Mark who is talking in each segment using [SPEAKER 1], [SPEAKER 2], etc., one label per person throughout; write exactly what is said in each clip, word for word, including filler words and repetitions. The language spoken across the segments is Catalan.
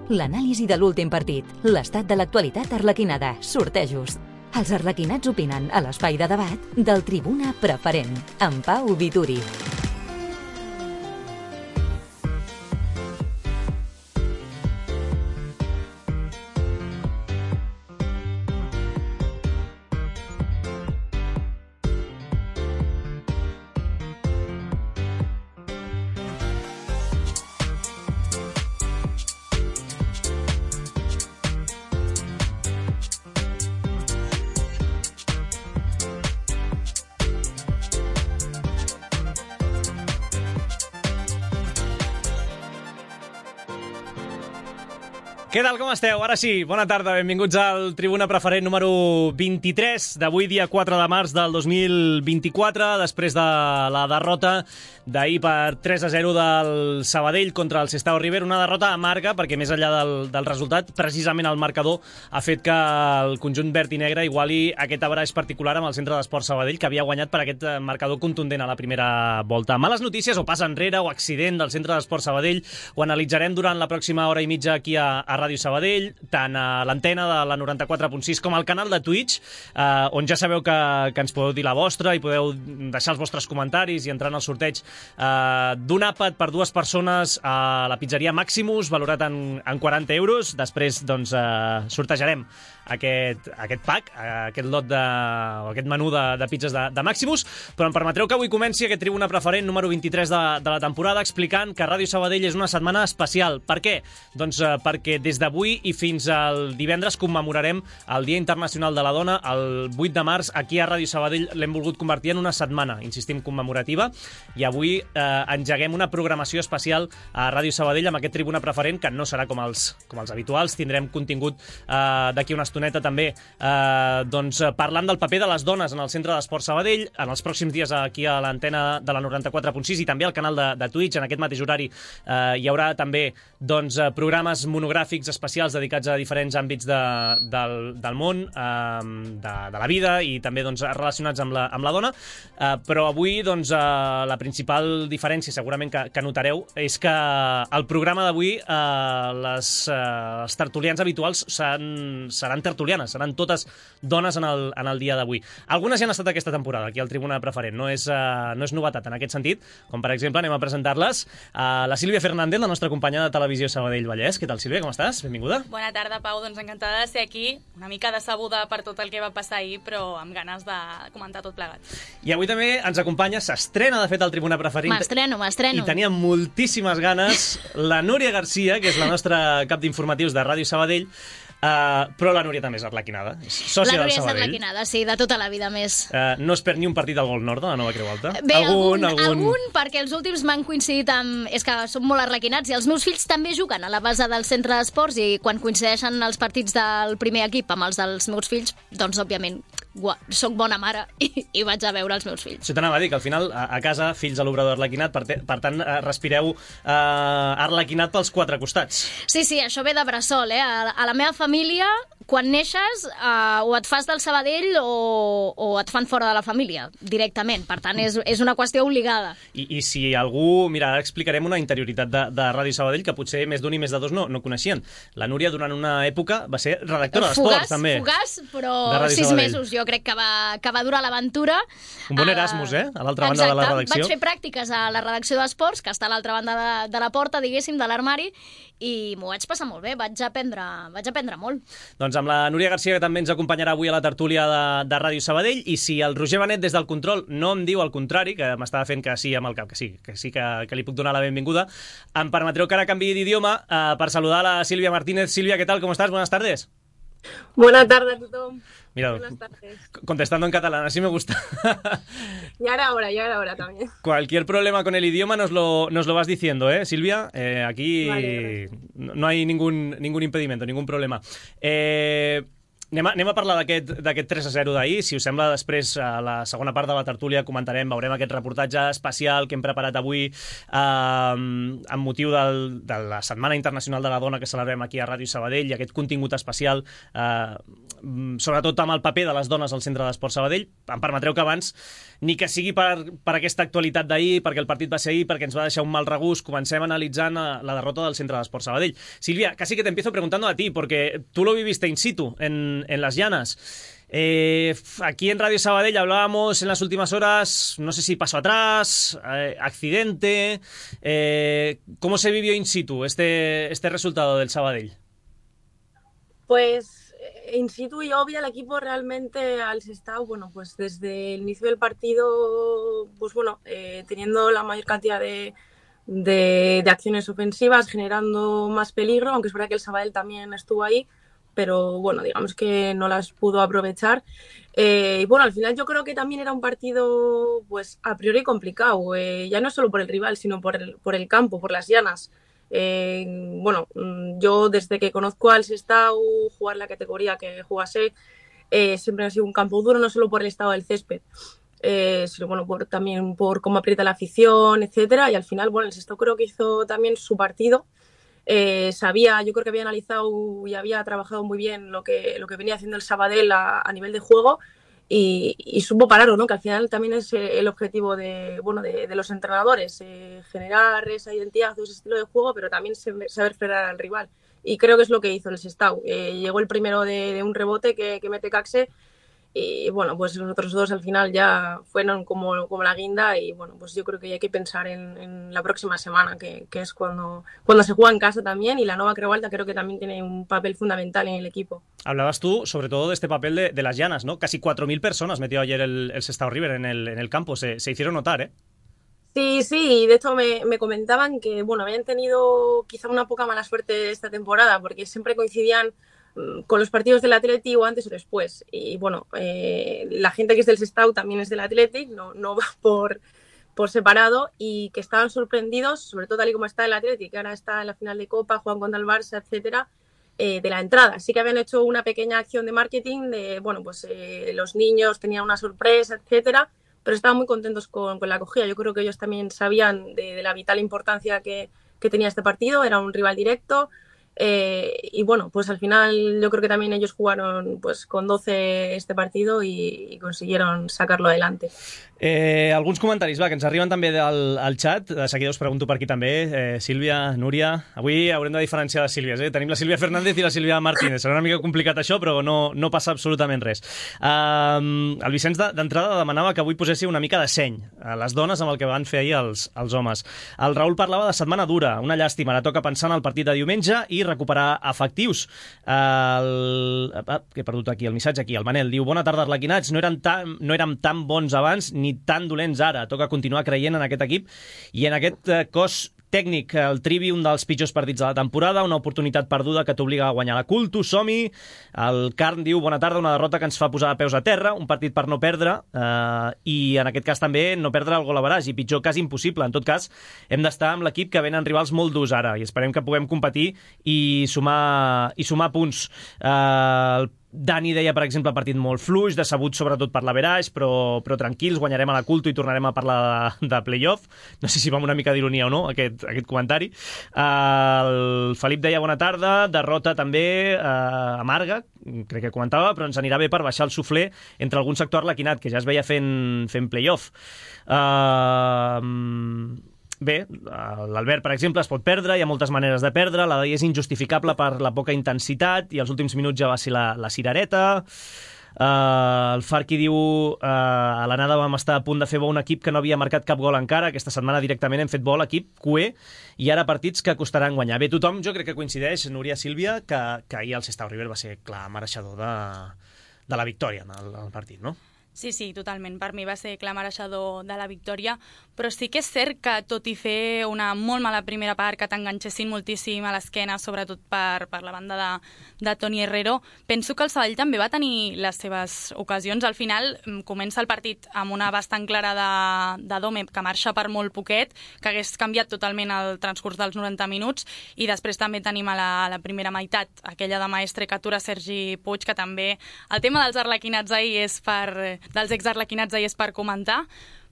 [SPEAKER 1] l'anàlisi de l'últim partit, l'estat de l'actualitat arlequinada, sortejos. Els arlequinats opinen a l'espai de debat del Tribuna Preferent, amb Pau Vituri.
[SPEAKER 2] Què tal, com esteu? Ara sí, bona tarda, benvinguts al Tribuna Preferent número vint-i-tres d'avui, dia quatre de març del dos mil vint-i-quatre, després de la derrota d'ahir per tres a zero del Sabadell contra el Sestao River, una derrota amarga perquè més enllà del, del resultat, precisament el marcador ha fet que el conjunt verd i negre iguali aquest abraç particular amb el Centre d'Esport Sabadell, que havia guanyat per aquest marcador contundent a la primera volta. Males notícies o pas enrere o accident del Centre d'Esport Sabadell ho analitzarem durant la pròxima hora i mitja aquí a, a Ràdio Sabadell, tant a l'antena de la noranta-quatre punt sis com al canal de Twitch, eh, on ja sabeu que, que ens podeu dir la vostra i podeu deixar els vostres comentaris i entrar en el sorteig eh, d'un àpat per dues persones a la pizzeria Maximus, valorat en, en quaranta euros. Després doncs, eh, sortejarem aquest, aquest pack, aquest lot de, o aquest menú de, de pizzas de, de Maximus, però em permetreu que avui comenci aquest Tribuna Preferent número vint-i-tres de, de la temporada explicant que Ràdio Sabadell és una setmana especial. Per què? Doncs eh, perquè des d'avui i fins al divendres commemorarem el Dia Internacional de la Dona, el vuit de març. Aquí a Ràdio Sabadell l'hem volgut convertir en una setmana, insistim, commemorativa, i avui eh, engeguem una programació especial a Ràdio Sabadell amb aquest Tribuna Preferent, que no serà com els, com els habituals. Tindrem contingut eh, d'aquí una estoneta també eh, doncs, parlant del paper de les dones en el Centre d'Esport Sabadell. En els pròxims dies aquí a l'antena de la noranta-quatre punt sis i també al canal de, de Twitch, en aquest mateix horari, eh, hi haurà també doncs, programes monogràfics especials dedicats a diferents àmbits de, del, del món, eh, de, de la vida i també doncs, relacionats amb la, amb la dona. Eh, però avui doncs, eh, la principal diferència segurament que, que notareu és que el programa d'avui eh, les, eh, els tertulians habituals seran, seran tertulianes, seran totes dones en el, en el dia d'avui. Algunes ja han estat aquesta temporada aquí al Tribuna Preferent, no és, eh, no és novetat en aquest sentit, com per exemple anem a presentar-les a la Sílvia Fernández, la nostra companya de Televisió Sabadell Vallès. Què tal, Sílvia, com estàs? Benvinguda.
[SPEAKER 3] Bona tarda, Pau. Doncs encantada de ser aquí, una mica decebuda per tot el que va passar ahir, però amb ganes de comentar tot plegat.
[SPEAKER 2] I avui també ens acompanya, s'estrena de fet al Tribuna Preferent.
[SPEAKER 3] M'estreno, m'estreno.
[SPEAKER 2] I tenia moltíssimes ganes la Núria Garcia, que és la nostra cap d'informatius de Ràdio Sabadell, Uh, però la Núria també és arlequinada, és sòcia del Sabadell. La Núria és
[SPEAKER 3] arlequinada, sí, de tota la vida més.
[SPEAKER 2] Uh, no es perd ni un partit al Gol Nord de la Nova Creu Alta?
[SPEAKER 3] Bé, algun, algun, algun... algun perquè els últims m'han coincidit amb... És que són molt arlequinats i els meus fills també juguen a la base del centre d'esports i quan coincideixen els partits del primer equip amb els dels meus fills, doncs, òbviament, soc bona mare i, i vaig a veure els meus fills.
[SPEAKER 2] Això t'anava a dir, que al final, a, a casa, fills a l'obrador arlequinat, per, te, per tant, respireu uh, arlequinat pels quatre costats.
[SPEAKER 3] Sí, sí, això ve de bressol, eh? A, a la meva família, quan neixes, uh, o et fas del Sabadell o, o et fan fora de la família, directament. Per tant, és, és una qüestió obligada.
[SPEAKER 2] I, i si algú... Mira, ara explicarem una interioritat de, de Ràdio Sabadell que potser més d'un i més de dos no, no coneixien. La Núria, durant una època, va ser redactora d'esports, també.
[SPEAKER 3] Fugaç, però sis mesos, jo crec que va, que va durar l'aventura.
[SPEAKER 2] Un bon Erasmus, eh? A l'altra banda de la redacció.
[SPEAKER 3] Vaig fer pràctiques a la redacció d'esports, que està a l'altra banda de, de la porta, diguéssim, de l'armari, i m'ho vaig passar molt bé, vaig aprendre, vaig aprendre molt.
[SPEAKER 2] Doncs amb la Núria Garcia, que també ens acompanyarà avui a la tertúlia de, de Ràdio Sabadell, i si el Roger Benet des del control no em diu el contrari, que m'estava fent que sí amb el cap, que sí, que sí que, que li puc donar la benvinguda, em permetreu que ara canviï d'idioma eh, per saludar la Sílvia Martínez. Sílvia, ¿qué tal? ¿Cómo estás? Buenas tardes.
[SPEAKER 4] Buenas tardes a todos.
[SPEAKER 2] Mira,
[SPEAKER 4] buenas tardes.
[SPEAKER 2] Contestando en catalán, así me gusta.
[SPEAKER 4] Ya era hora, ya era hora también.
[SPEAKER 2] Cualquier problema con el idioma nos lo, nos lo vas diciendo, ¿eh, Silvia? Eh, aquí
[SPEAKER 4] vale,
[SPEAKER 2] no, no hay ningún, ningún impedimento, ningún problema. Eh... Anem a, anem a parlar d'aquest tres a zero d'ahir. Si us sembla, després, a la segona part de la tertúlia, comentarem, veurem aquest reportatge especial que hem preparat avui eh, amb motiu del, de la Setmana Internacional de la Dona que celebrem aquí a Ràdio Sabadell, i aquest contingut especial, eh, sobretot amb el paper de les dones al Centre d'Esport Sabadell. Em permetreu que abans, ni que sigui per, per aquesta actualitat d'ahir, perquè el partit va ser ahir, perquè ens va deixar un mal regust, comencem analitzant la derrota del Centre d'Esport Sabadell. Silvia, casi que te empiezo preguntando a ti, porque tú lo viviste in situ, en en las llanas. Eh, aquí en Radio Sabadell hablábamos en las últimas horas, no sé si paso atrás, eh, accidente, eh, ¿cómo se vivió in situ este, este resultado del Sabadell?
[SPEAKER 4] Pues in situ yo vi al equipo realmente al Sestao, bueno, pues desde el inicio del partido, pues bueno, eh, teniendo la mayor cantidad de, de, de acciones ofensivas, generando más peligro, aunque es verdad que el Sabadell también estuvo ahí, pero bueno, digamos que no las pudo aprovechar. Eh, y bueno, al final yo creo que también era un partido pues a priori complicado, eh, ya no solo por el rival, sino por el, por el campo, por las llanas. Eh, bueno, yo desde que conozco al Sestao, jugar la categoría que jugase, eh, siempre ha sido un campo duro, no solo por el estado del césped, eh, sino bueno, por, también por cómo aprieta la afición, etcétera. Y al final, bueno, el Sestao creo que hizo también su partido. Eh, sabía, yo creo que había analizado y había trabajado muy bien lo que, lo que venía haciendo el Sabadell a, a nivel de juego, y, y supo pararlo, ¿no? Que al final también es el objetivo de, bueno, de, de los entrenadores, eh, generar esa identidad, ese estilo de juego, pero también saber frenar al rival. Y creo que es lo que hizo el Sestao. Eh, llegó el primero de, de un rebote que, que mete Caxe, y bueno, pues los otros dos al final ya fueron como, como la guinda, y bueno, pues yo creo que ya hay que pensar en, en la próxima semana, que, que es cuando, cuando se juega en casa también, y la Nova Creu Alta creo que también tiene un papel fundamental en el equipo.
[SPEAKER 2] Hablabas tú sobre todo de este papel de, de las llanas, ¿no? Casi cuatro mil personas metió ayer el, el Sestao River en el, en el campo, se, se hicieron notar, ¿eh?
[SPEAKER 4] Sí, sí, y de hecho me, me comentaban que bueno, habían tenido quizá una poca mala suerte esta temporada, porque siempre coincidían con los partidos del Athletic o antes o después. Y bueno, eh, la gente que es del Sestao también es del Athletic, no, no va por, por separado, y que estaban sorprendidos, sobre todo tal y como está el Athletic, que ahora está en la final de Copa, juegan contra el Barça, etcétera, eh, de la entrada. Sí que habían hecho una pequeña acción de marketing de, bueno, pues eh, los niños tenían una sorpresa, etcétera, pero estaban muy contentos con, con la acogida. Yo creo que ellos también sabían de, de la vital importancia que, que tenía este partido, era un rival directo. Eh, y bueno, pues al final yo creo que también ellos jugaron pues con doce este partido y, y consiguieron sacarlo adelante.
[SPEAKER 2] Eh, alguns comentaris, va, que ens arriben també del al xat. De seguida us pregunto per aquí també. Eh, Sílvia, Núria... Avui haurem de diferenciar les Sílvies, eh? Tenim la Sílvia Fernández i la Sílvia Martínez. Serà una mica complicat això, però no, no passa absolutament res. Um, el Vicenç d'entrada demanava que avui poséssiu una mica de seny a les dones amb el que van fer ahir els, els homes. El Raül parlava de setmana dura, una llàstima. Ara toca pensar en el partit de diumenge i recuperar efectius. El... Ah, que he perdut aquí el missatge. Aquí, el Manel diu: bona tarda, arlequinats. No érem tan, no érem tan bons abans ni tan dolents ara. Toca continuar creient en aquest equip i en aquest eh, cos tècnic. El Trivi, un dels pitjors partits de la temporada, una oportunitat perduda que t'obliga a guanyar la Culto, som-hi. El Carn diu: bona tarda, una derrota que ens fa posar de peus a terra, un partit per no perdre, eh, i en aquest cas també no perdre el gol average, i pitjor cas impossible. En tot cas, hem d'estar amb l'equip que venen rivals molt durs ara, i esperem que puguem competir i sumar, i sumar punts. Eh, el Dani deia, per exemple, partit molt fluix, decebut sobretot per l'average, però, però tranquils, guanyarem a la Culto i tornarem a parlar de, de play-off. No sé si va amb una mica d'ironia o no, aquest, aquest comentari. Uh, el Felip deia: bona tarda, derrota també uh, amarga, crec que comentava, però ens anirà bé per baixar el suflé entre algun sector arlequinat, que ja es veia fent, fent play-off. Uh, Bé, l'Albert, per exemple, es pot perdre, hi ha moltes maneres de perdre, la d'ahir és injustificable per la poca intensitat i els últims minuts ja va ser la, la cirereta. Uh, el Farqui diu: uh, a l'anada vam estar a punt de fer bo un equip que no havia marcat cap gol encara, aquesta setmana directament hem fet bo l'equip cué i ara partits que costaran guanyar. Bé, tothom jo crec que coincideix, Núria, Sílvia, que, que ahir el Sestao River va ser clar mereixedor de, de la victòria en el, en el partit, no?
[SPEAKER 5] Sí, sí, totalment. Per mi va ser clar mereixedor de la victòria, però sí que és cert que tot i fer una molt mala primera part, que t'enganxessin moltíssim a l'esquena, sobretot per, per la banda de, de Toni Herrero, penso que el Sabadell també va tenir les seves ocasions. Al final comença el partit amb una bastant clara de, de Dome, que marxa per molt poquet, que hagués canviat totalment el transcurs dels noranta minuts, i després també tenim a la, a la primera meitat aquella de Maestre que atura Sergi Puig, que també el tema dels arlequinats ahir és per... dels exarlequinats ahir és per comentar,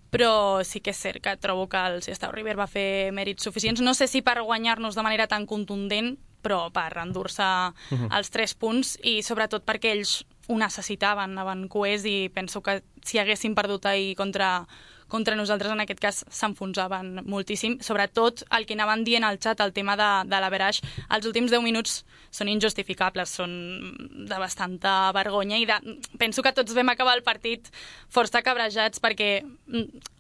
[SPEAKER 5] però sí que és cert que trobo que el Sestao River va fer mèrits suficients. No sé si per guanyar-nos de manera tan contundent, però per endur-se uh-huh. els tres punts, i sobretot perquè ells ho necessitaven, anaven coers, i penso que si haguessin perdut ahir contra, contra nosaltres, en aquest cas s'enfonsaven moltíssim. Sobretot el que anaven dient al xat, el tema de, de l'averaix, els últims deu minuts són injustificables, són de bastanta vergonya, i de, penso que tots vam acabar el partit força cabrejats, perquè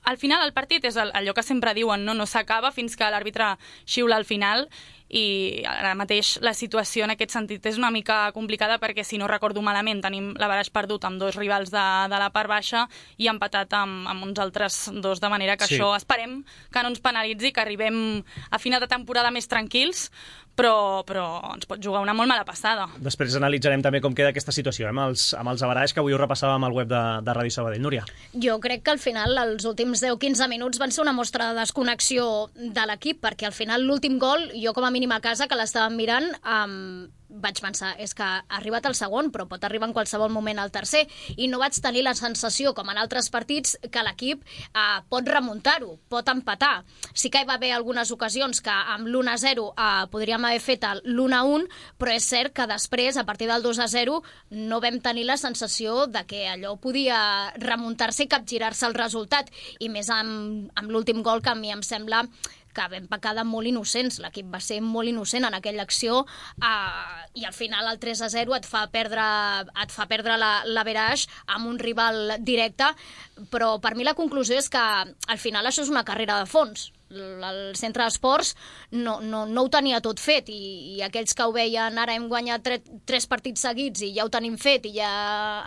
[SPEAKER 5] al final el partit és allò que sempre diuen, no, no s'acaba fins que l'àrbitre xiula al final, i ara mateix la situació en aquest sentit és una mica complicada, perquè si no recordo malament tenim l'averaix perdut amb dos rivals de, de la part baixa i empatat amb, amb uns altres dos, de manera que sí. Això esperem que no ens penalitzi, que arribem a final de temporada més tranquils, però, però ens pot jugar una molt mala passada.
[SPEAKER 2] Després analitzarem també com queda aquesta situació, eh, amb els, amb els averaix que avui ho repassàvem al web de, de Ràdio Sabadell. Núria?
[SPEAKER 3] Jo crec que al final els últims deu quinze minuts van ser una mostra de desconnexió de l'equip, perquè al final l'últim gol, jo com a mínim a casa, que l'estàvem mirant, um, vaig pensar, és que ha arribat el segon, però pot arribar en qualsevol moment el tercer, i no vaig tenir la sensació, com en altres partits, que l'equip eh, pot remuntar-ho, pot empatar. Sí que hi va haver algunes ocasions que amb l'u a zero eh, podríem haver fet l'u a un, però és cert que després, a partir del dos a zero, no vam tenir la sensació de que allò podia remuntar-se i capgirar-se el resultat, i més amb, amb l'últim gol, que a mi em sembla que vam pecar de molt innocents. L'equip va ser molt innocent en aquella acció, eh, i al final el tres a zero et fa perdre, et fa perdre l'averaix amb un rival directe, però per mi la conclusió és que al final això és una carrera de fons. El centre d'esports no, no, no ho tenia tot fet, i, i aquells que ho veien ara hem guanyat tre, tres partits seguits i ja ho tenim fet i ja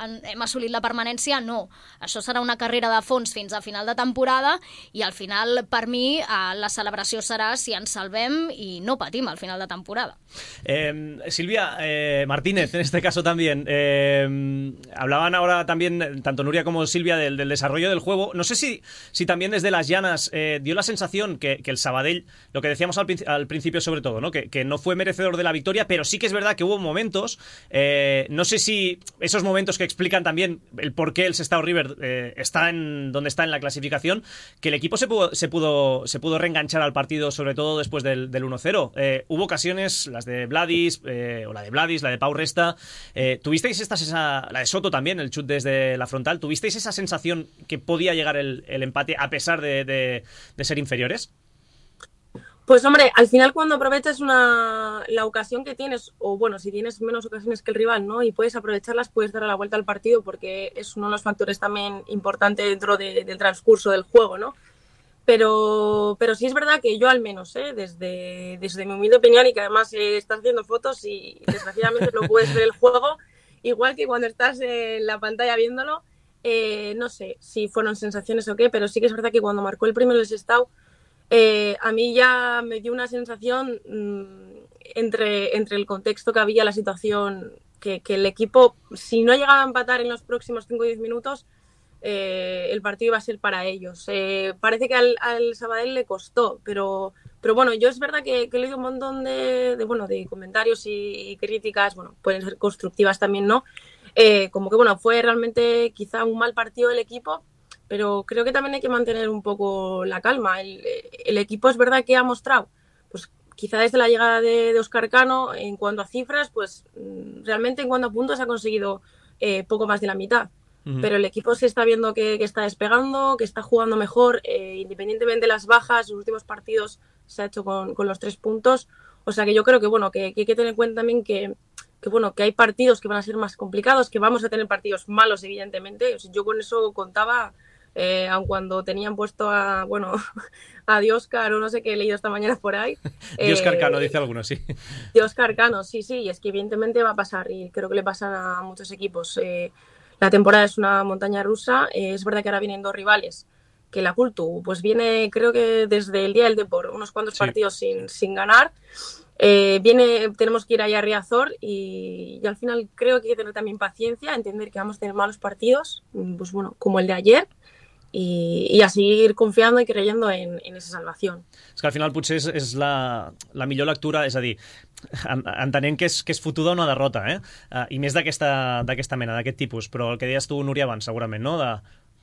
[SPEAKER 3] han, hem assolit la permanència, no. Això serà una carrera de fons fins a final de temporada, i al final, per mi, eh, la celebració serà si ens salvem i no patim al final de temporada.
[SPEAKER 2] Eh, Silvia eh, Martínez, en este caso también, eh, hablaban ahora también tanto Nuria como Silvia del, del desarrollo del juego. No sé si, si también desde las llanas eh, dio la sensación Que, que el Sabadell, lo que decíamos al, al principio sobre todo, ¿no? Que, que no fue merecedor de la victoria, pero sí que es verdad que hubo momentos, eh, no sé si esos momentos que explican también el por qué el Sestao River eh, está en donde está en la clasificación, que el equipo se pudo, se pudo, se pudo reenganchar al partido, sobre todo después del, del uno cero. Eh, hubo ocasiones, las de Vladis, eh, o la de Vladis, la de Pau Resta, eh, ¿tuvisteis esta, esa, la de Soto también, el chut desde la frontal, ¿tuvisteis esa sensación que podía llegar el, el empate a pesar de, de, de ser inferiores?
[SPEAKER 4] Pues hombre, al final cuando aprovechas una, la ocasión que tienes, o bueno, si tienes menos ocasiones que el rival, ¿no? Y puedes aprovecharlas, puedes dar la vuelta al partido, porque es uno de los factores también importantes dentro de, del transcurso del juego, ¿no? Pero, pero sí es verdad que yo al menos, ¿eh? desde, desde mi humilde opinión, y que además eh, estás haciendo fotos y desgraciadamente no puedes ver el juego, igual que cuando estás en la pantalla viéndolo, eh, no sé si fueron sensaciones o qué, pero sí que es verdad que cuando marcó el primero el Sestao, Eh, a mí ya me dio una sensación mmm, entre, entre el contexto que había, la situación, que, que el equipo, si no llegaba a empatar en los próximos cinco o diez minutos, eh, el partido iba a ser para ellos. Eh, parece que al, al Sabadell le costó, pero, pero bueno, yo es verdad que, que he leído un montón de, de, bueno, de comentarios y, y críticas, bueno, pueden ser constructivas también, ¿no? Eh, como que bueno, fue realmente quizá un mal partido del equipo, pero creo que también hay que mantener un poco la calma. El, el equipo es verdad que ha mostrado, pues quizá desde la llegada de, de Óscar Cano, en cuanto a cifras, pues realmente en cuanto a puntos ha conseguido eh, poco más de la mitad. Uh-huh. Pero el equipo se está viendo que, que está despegando, que está jugando mejor, eh, independientemente de las bajas, los últimos partidos se ha hecho con, con los tres puntos. O sea que yo creo que bueno, que, que hay que tener en cuenta también que, que bueno, que hay partidos que van a ser más complicados, que vamos a tener partidos malos, evidentemente. O sea, yo con eso contaba. Eh, aun cuando tenían puesto a, bueno, a Dioscar o no sé qué he leído esta mañana por ahí.
[SPEAKER 2] Dioscar
[SPEAKER 4] eh,
[SPEAKER 2] Cano, dice alguno, sí.
[SPEAKER 4] Dioscar Cano, sí, sí, y es que evidentemente va a pasar, y creo que le pasan a muchos equipos. Eh, la temporada es una montaña rusa. Eh, es verdad que ahora vienen dos rivales, que la Cultu pues viene creo que desde el día del Depor, unos cuantos sí. partidos sin, sin ganar. Eh, viene, tenemos que ir allá a Riazor y, y al final creo que hay que tener también paciencia, entender que vamos a tener malos partidos, pues bueno, como el de ayer, i, i a seguir confiando i creyendo en, en esa salvación.
[SPEAKER 2] És que al final potser és, és la, la millor lectura, és a dir, en, entenent que és, que és fotuda una derrota, eh? Uh, i més d'aquesta mena, d'aquest tipus, però el que deies tu, Núria, abans, segurament, no? De,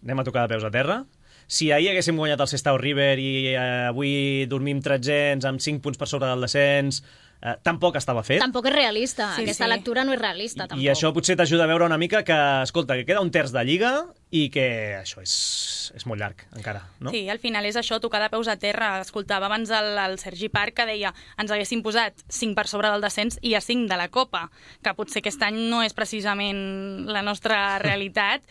[SPEAKER 2] anem a tocar de peus a terra. Si ahir haguéssim guanyat el Sestao River i eh, avui dormim tretzens amb cinc punts per sobre del descens, eh, tampoc estava fet.
[SPEAKER 3] Tampoc és realista. Sí, Aquesta sí. lectura no és realista, tampoc.
[SPEAKER 2] I això potser t'ajuda a veure una mica que, escolta, que queda un terç de Lliga i que això és, és molt llarg, encara, no?
[SPEAKER 5] Sí, al final és això, tocar de peus a terra. Escoltava abans el, el Sergi Parc que deia ens haguéssim posat cinc per sobre del descens i a cinc de la Copa, que potser aquest any no és precisament la nostra realitat,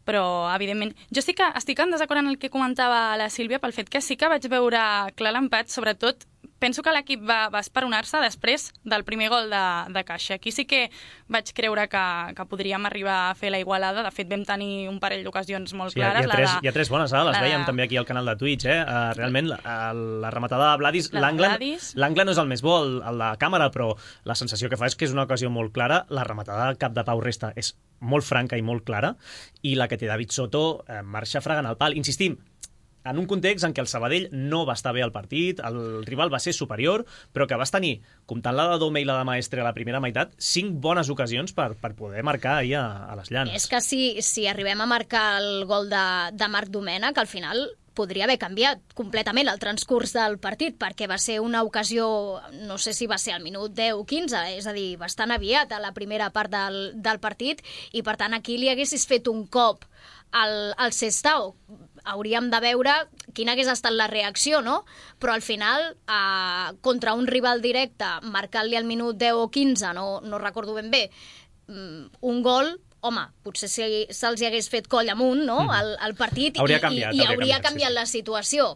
[SPEAKER 5] però, evidentment, jo sí que estic en desacord en el que comentava la Sílvia pel fet que sí que vaig veure clar l'empat, sobretot penso que l'equip va, va esperonar-se després del primer gol de, de Caixa. Aquí sí que vaig creure que, que podríem arribar a fer la igualada. De fet, vam tenir un parell d'ocasions molt
[SPEAKER 2] sí,
[SPEAKER 5] clares.
[SPEAKER 2] Hi ha, tres,
[SPEAKER 5] la de,
[SPEAKER 2] hi ha tres bones, eh? Les
[SPEAKER 5] la
[SPEAKER 2] veiem
[SPEAKER 5] de...
[SPEAKER 2] també aquí al canal de Twitch. Eh? Uh, realment, la, la rematada de Vladis, l'angle no és el més bo, el, el de càmera, però la sensació que fa és que és una ocasió molt clara. La rematada del cap de Pau Resta és molt franca i molt clara, i la que té David Soto eh, marxa fregant el pal. Insistim, en un context en què el Sabadell no va estar bé al partit, el rival va ser superior, però que vas tenir, comptant la de Dome i la de Maestre a la primera meitat, cinc bones ocasions per, per poder marcar ahir a, a les Llanes.
[SPEAKER 3] És que si, si arribem a marcar el gol de, de Marc Domènech, al final podria haver canviat completament el transcurs del partit, perquè va ser una ocasió, no sé si va ser al minut deu o quinze, és a dir, bastant aviat a la primera part del, del partit, i per tant aquí li haguessis fet un cop al, al Sestao, hauríem de veure quina hagués estat la reacció, no? Però al final, eh, contra un rival directe, marcant-li al minut deu o quinze, no, no recordo ben bé, un gol, home, potser si se'ls hi hagués fet coll amunt, no?, el, el partit,
[SPEAKER 2] hauria canviat,
[SPEAKER 3] i, i, i hauria
[SPEAKER 2] hauria
[SPEAKER 3] canviat, canviat sí, sí. la situació.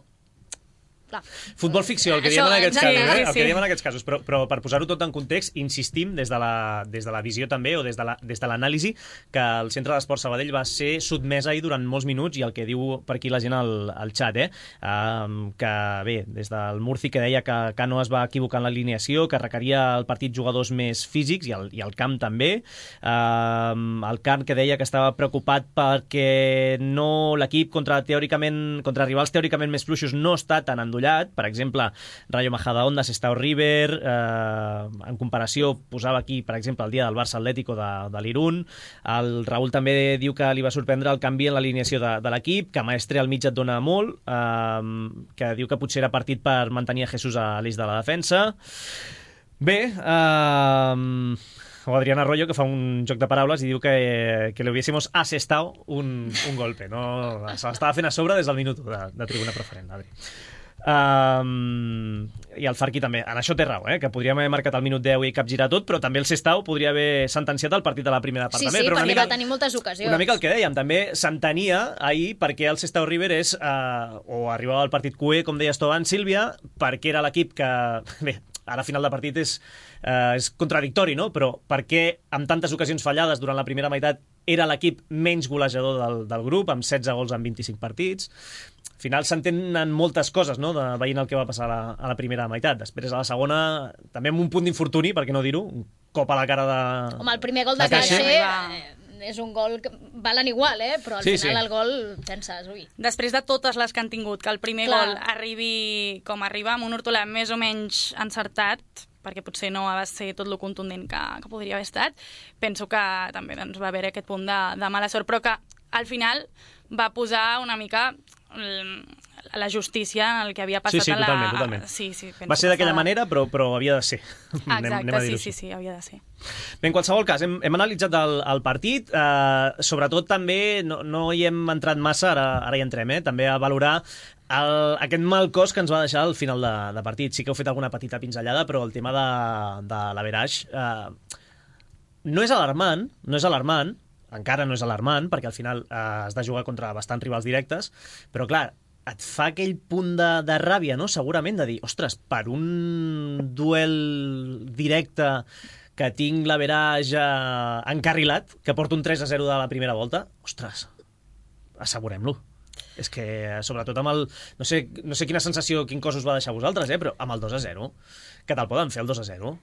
[SPEAKER 3] Clar.
[SPEAKER 2] Futbol ficció, el que
[SPEAKER 3] Això,
[SPEAKER 2] diem en aquests
[SPEAKER 3] exacte,
[SPEAKER 2] casos, eh?
[SPEAKER 3] sí,
[SPEAKER 2] el que
[SPEAKER 3] sí.
[SPEAKER 2] diem en aquests casos, però, però per posar-ho tot en context, insistim des de la, des de la visió també, o des de la, des de l'anàlisi, que el Centre d'Esports Sabadell va ser sotmès ahir durant molts minuts, i el que diu per aquí la gent al, al xat, eh? Um, que bé, des del Murci, que deia que Cano es va equivocar en l'alineació, que requeria el partit jugadors més físics, i el, i el camp també. Um, el Can, que deia que estava preocupat perquè no l'equip contra, teòricament, contra rivals teòricament més fluixos no està tan endollat. Per exemple, Rayo Majadahonda, Sestao River, eh, en comparació, posava aquí, per exemple, el dia del Barça Atlético de, de l'Irun. El Raül també diu que li va sorprendre el canvi en l'alineació de, de l'equip, que Maestre al mig et dona molt, eh, que diu que potser era partit per mantenir a Jesús a l'eix de la defensa. Bé, eh, o Adrián Arroyo, que fa un joc de paraules i diu que, que li hubiésemos asestado un, un golpe, no? Se l'estava fent a sobre des del minut de, de tribuna preferent, Adri. Um, i el Farqui també, en això té raó, eh? Que podríem haver marcat al minut deu i capgirar tot, però també el Sestao podria haver sentenciat el partit de la primera part
[SPEAKER 3] sí,
[SPEAKER 2] també,
[SPEAKER 3] sí,
[SPEAKER 2] però una
[SPEAKER 3] perquè
[SPEAKER 2] mica,
[SPEAKER 3] va tenir moltes ocasions.
[SPEAKER 2] una mica el que dèiem, també s'entenia ahir perquè el Sestao River és uh, o arribava al partit cué, com deies tu abans, Sílvia, perquè era l'equip que bé, a la final de partit és, uh, és contradictori, no? Però perquè amb tantes ocasions fallades durant la primera meitat era l'equip menys golejador del, del grup, amb setze gols en vint-i-cinc partits. Al final s'entenen moltes coses, no?, de, veient el que va passar a la, a la primera meitat. Després, a la segona, també amb un punt d'infortuni, per què no dir-ho, un cop a la cara de...
[SPEAKER 3] Home, el primer gol de, de Caixa eh, és un gol que valen igual, eh? Però al
[SPEAKER 2] sí,
[SPEAKER 3] final
[SPEAKER 2] sí.
[SPEAKER 3] el gol penses, ui.
[SPEAKER 5] Després de totes les que han tingut, que el primer
[SPEAKER 3] Clar.
[SPEAKER 5] gol arribi com arriba, amb un hortolà més o menys encertat, perquè potser no va ser tot lo contundent que, que podria haver estat, penso que també doncs, va haver aquest punt de, de mala sort, però que al final va posar una mica la justícia en el que havia passat.
[SPEAKER 2] Sí, sí,
[SPEAKER 5] a la...
[SPEAKER 2] totalment, totalment.
[SPEAKER 5] Sí, sí,
[SPEAKER 2] va ser d'aquella
[SPEAKER 5] estava...
[SPEAKER 2] manera, però, però havia de ser.
[SPEAKER 5] Exacte,
[SPEAKER 2] anem, anem a
[SPEAKER 5] sí, sí, sí, havia de ser.
[SPEAKER 2] Bé, en qualsevol cas, hem, hem analitzat el, el partit, eh, sobretot també, no, no hi hem entrat massa, ara, ara hi entrem, eh, també a valorar el, aquest mal cos que ens va deixar al final de, de partit. Sí que heu fet alguna petita pinzellada, però el tema de, de l'averaix eh, no és alarmant, no és alarmant, encara no és alarmant, perquè al final eh, has de jugar contra bastants rivals directes, però clar, et fa aquell punt de, de ràbia, no?, segurament, de dir, ostres, per un duel directe que tinc l'average eh, encarrilat, que porto un tres a zero de la primera volta, ostres, assegurem-lo. És que, sobretot amb el... No sé, no sé quina sensació, quin cos us va deixar vosaltres, eh? Però amb el dos a zero, que te'l poden fer el dos a zero,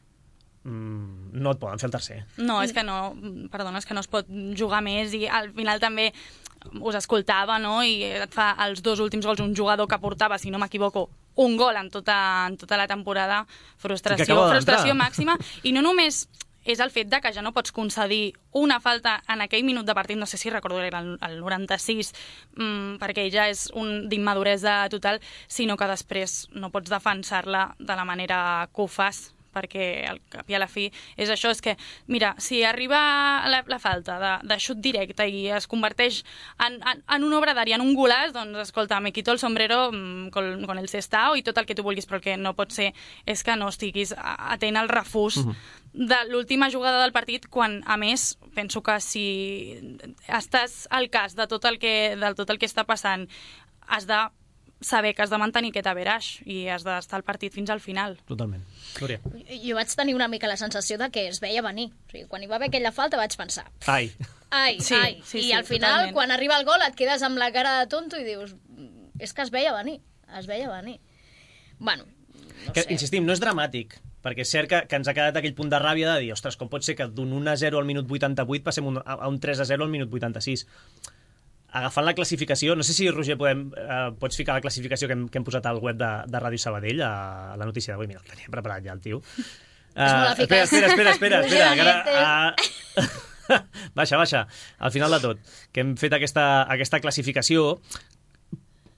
[SPEAKER 2] mm, no et poden fer el tercer.
[SPEAKER 5] No, és que no, perdona, és que no es pot jugar més i al final també us escoltava, no? I et fa els dos últims gols un jugador que portava, si no m'equivoco, un gol en tota, en tota la temporada. Frustració, frustració màxima. I no només és el fet de que ja no pots concedir una falta en aquell minut de partit, no sé si recordo era el, el noranta-sis, mmm, perquè ja és un d'immaduresa total, sinó que després no pots defensar-la de la manera que ho fas, perquè al cap i a la fi és això, és que, mira, si arriba la, la falta de, de xut directe i es converteix en, en, en una obra d'àrea, en un golaç, doncs, escolta, me quito el sombrero mmm, con, con el Sestao i tot el que tu vulguis, però el que no pot ser és que no estiguis atent al refús uh-huh. de l'última jugada del partit, quan, a més, penso que si estàs al cas de tot el que, de tot el que està passant, has de saber que has de mantenir aquest average i has d'estar al partit fins al final.
[SPEAKER 2] Totalment. Núria.
[SPEAKER 3] Jo vaig tenir una mica la sensació de que es veia venir. O sigui, quan hi va haver aquella falta vaig pensar...
[SPEAKER 2] Ai.
[SPEAKER 3] Ai,
[SPEAKER 5] sí,
[SPEAKER 3] ai.
[SPEAKER 5] Sí,
[SPEAKER 3] I
[SPEAKER 5] sí,
[SPEAKER 3] al final,
[SPEAKER 5] totalment.
[SPEAKER 3] quan arriba el gol, et quedes amb la cara de tonto i dius... És que es veia venir. Es veia venir. Bueno, no
[SPEAKER 2] que,
[SPEAKER 3] sé.
[SPEAKER 2] Insistim, no és dramàtic, perquè és cert que, que ens ha quedat aquell punt de ràbia de dir, ostres, com pot ser que d'un un a zero al minut vuitanta-vuit passem un, a un tres a zero al minut vuitanta-sis? Agafant la classificació, no sé si, Roger, podem, eh, pots ficar la classificació que hem, que hem posat al web de, de Ràdio Sabadell, a, a la notícia d'avui. Mira, el tenia preparat ja el tio. Uh,
[SPEAKER 3] molt
[SPEAKER 2] espera, espera, espera, espera, espera, que ara,
[SPEAKER 3] Roger,
[SPEAKER 2] uh, baixa, baixa, al final de tot, que hem fet aquesta, aquesta classificació.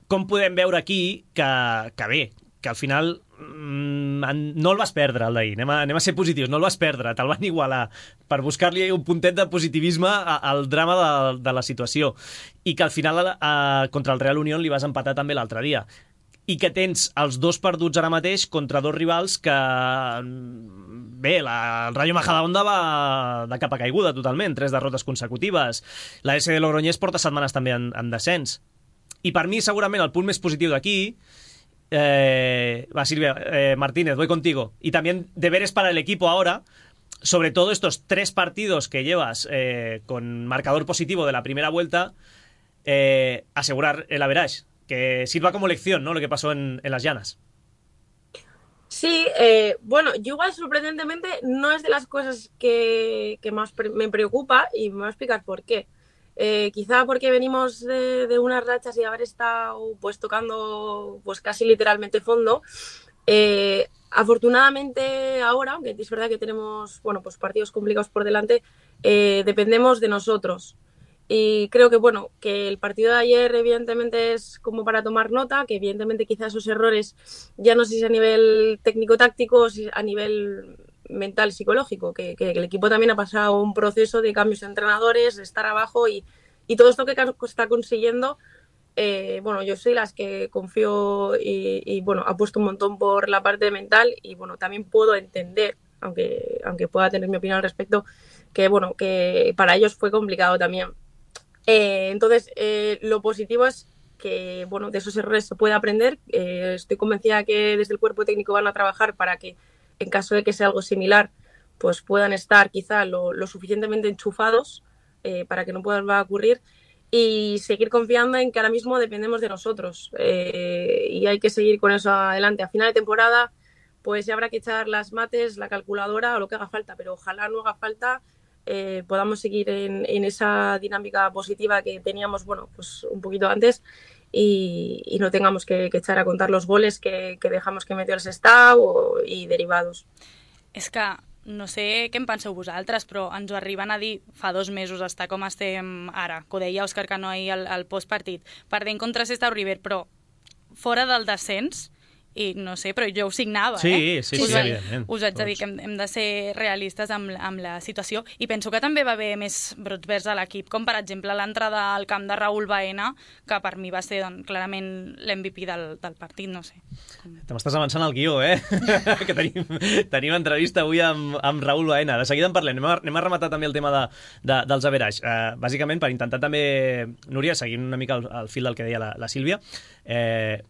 [SPEAKER 2] Com podem veure aquí que, que bé, que al final mm, no el vas perdre, el d'ahir. Anem, a, anem a ser positius, no el vas perdre, te'l van igualar per buscar-li un puntet de positivisme al drama de, de la situació. I que al final eh, contra el Real Unión li vas empatar també l'altre dia. I que tens els dos perduts ara mateix contra dos rivals que... Bé, la, el Rayo Majadahonda va de capa caiguda totalment, tres derrotes consecutives. La S de Logroñés porta setmanes també en, en descens. I per mi, segurament, el punt més positiu d'aquí... Eh, va, Silvia, eh, Martínez, voy contigo. Y también deberes para el equipo ahora, sobre todo estos tres partidos que llevas eh, con marcador positivo de la primera vuelta, eh, asegurar el average, que sirva como lección, ¿no? Lo que pasó en, en las Llanas.
[SPEAKER 4] Sí, eh, bueno, yo igual sorprendentemente no es de las cosas que, que más pre- me preocupa y me voy a explicar por qué. Eh, quizá porque venimos de, de unas rachas y haber estado pues tocando pues casi literalmente fondo. Eh, afortunadamente ahora, aunque es verdad que tenemos bueno pues partidos complicados por delante, eh, dependemos de nosotros. Y creo que bueno que el partido de ayer evidentemente es como para tomar nota, que evidentemente quizás esos errores ya no sé si a nivel técnico-táctico o si a nivel mental, psicológico, que, que el equipo también ha pasado un proceso de cambios de entrenadores, de estar abajo y, y todo esto que está consiguiendo, eh, bueno, yo soy las que confío y, y bueno, apuesto un montón por la parte mental y bueno, también puedo entender, aunque, aunque pueda tener mi opinión al respecto, que bueno, que para ellos fue complicado también. Eh, entonces, eh, lo positivo es que bueno, de esos errores se puede aprender. Eh, estoy convencida que desde el cuerpo técnico van a trabajar para que en caso de que sea algo similar, pues puedan estar quizá lo, lo suficientemente enchufados eh, para que no pueda ocurrir y seguir confiando en que ahora mismo dependemos de nosotros eh, y hay que seguir con eso adelante. A final de temporada pues ya habrá que echar las mates, la calculadora o lo que haga falta, pero ojalá no haga falta, eh, podamos seguir en, en esa dinámica positiva que teníamos bueno, pues un poquito antes. Y, y no tengamos que, que echar a contar los goles que, que dejamos que metió el Sestao i derivados.
[SPEAKER 5] És que no sé què en penseu vosaltres, però ens ho arriben a dir fa dos mesos estar com estem ara, que ho deia Òscar Cano ahir al, al postpartit, perdent contra Sestao River, però fora del descens, i no sé, però jo ho signava,
[SPEAKER 2] sí,
[SPEAKER 5] eh?
[SPEAKER 2] Sí, sí,
[SPEAKER 5] us,
[SPEAKER 2] sí, evidentment.
[SPEAKER 5] Us haig de dir que hem, hem de ser realistes amb, amb la situació i penso que també va haver més brots verds a l'equip, com per exemple l'entrada al camp de Raúl Baena, que per mi va ser doncs, clarament l'M V P del, del partit, no sé.
[SPEAKER 2] Te m'estàs avançant al guió, eh? que tenim, tenim entrevista avui amb, amb Raúl Baena. De seguida en parlem. Anem a, anem a rematar també el tema de, de, dels average. Uh, bàsicament, per intentar també, Núria, seguint una mica el, el fil del que deia la, la Sílvia, eh,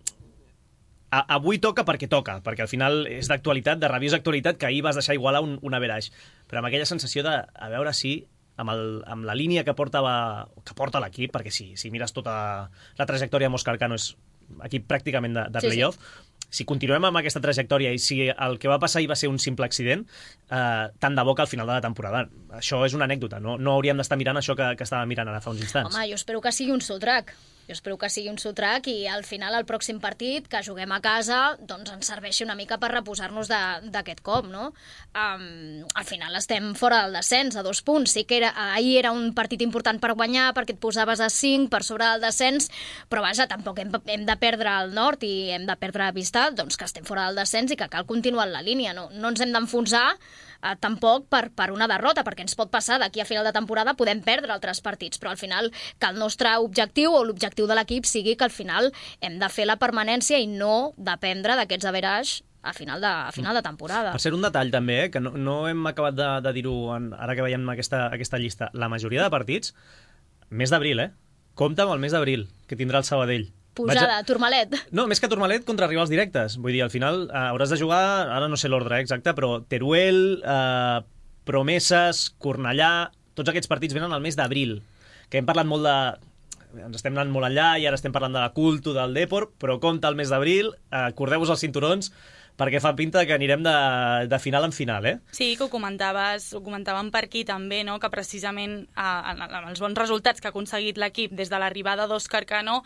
[SPEAKER 2] a, avui toca perquè toca, perquè al final és d'actualitat, de rabiosa actualitat, que ahir vas deixar igualar un, un average. Però amb aquella sensació de a veure si amb, el, amb la línia que porta, la, que porta l'equip, perquè sí, si mires tota la trajectòria amb Òscar Cano és equip pràcticament de, de playoff, sí, sí. Si continuem amb aquesta trajectòria i si el que va passar ahir va ser un simple accident, eh, tant de bo que al final de la temporada. Això és una anècdota, no, no hauríem d'estar mirant això que, que estàvem mirant ara fa uns instants.
[SPEAKER 3] Home, jo espero que sigui un sotrac. Jo espero que sigui un sotrac i al final el pròxim partit que juguem a casa doncs ens serveixi una mica per reposar-nos d'aquest cop, no? Um, al final estem fora del descens, a dos punts. Sí que era, ahir era un partit important per guanyar perquè et posaves a cinc per sobre del descens, però vaja, tampoc hem, hem de perdre el nord i hem de perdre a vista doncs, que estem fora del descens i que cal continuar en la línia. No, no ens hem d'enfonsar Uh, tampoc per, per una derrota, perquè ens pot passar d'aquí a final de temporada podem perdre altres partits, però al final que el nostre objectiu o l'objectiu de l'equip sigui que al final hem de fer la permanència i no dependre d'aquests average a final de, a final de temporada.
[SPEAKER 2] Per ser un detall també, eh, que no, no hem acabat de, de dir-ho ara que veiem aquesta, aquesta llista, la majoria de partits, mes d'abril, eh? Compte amb el mes d'abril, que tindrà el Sabadell.
[SPEAKER 3] Posada, a... Turmalet.
[SPEAKER 2] No, més que Turmalet, contra rivals directes. Vull dir, al final eh, hauràs de jugar, ara no sé l'ordre eh, exacte, però Teruel, eh, Promeses, Cornellà, tots aquests partits venen al mes d'abril, que hem parlat molt de... Ens estem anant molt enllà i ara estem parlant de la Culto, del Depor, però compte al mes d'abril, eh, acordeu-vos els cinturons, perquè fa pinta que anirem de, de final en final, eh?
[SPEAKER 5] Sí, que ho comentaves, ho comentàvem per aquí també, no? Que precisament amb els bons resultats que ha aconseguit l'equip des de l'arribada d'Òscar Cano,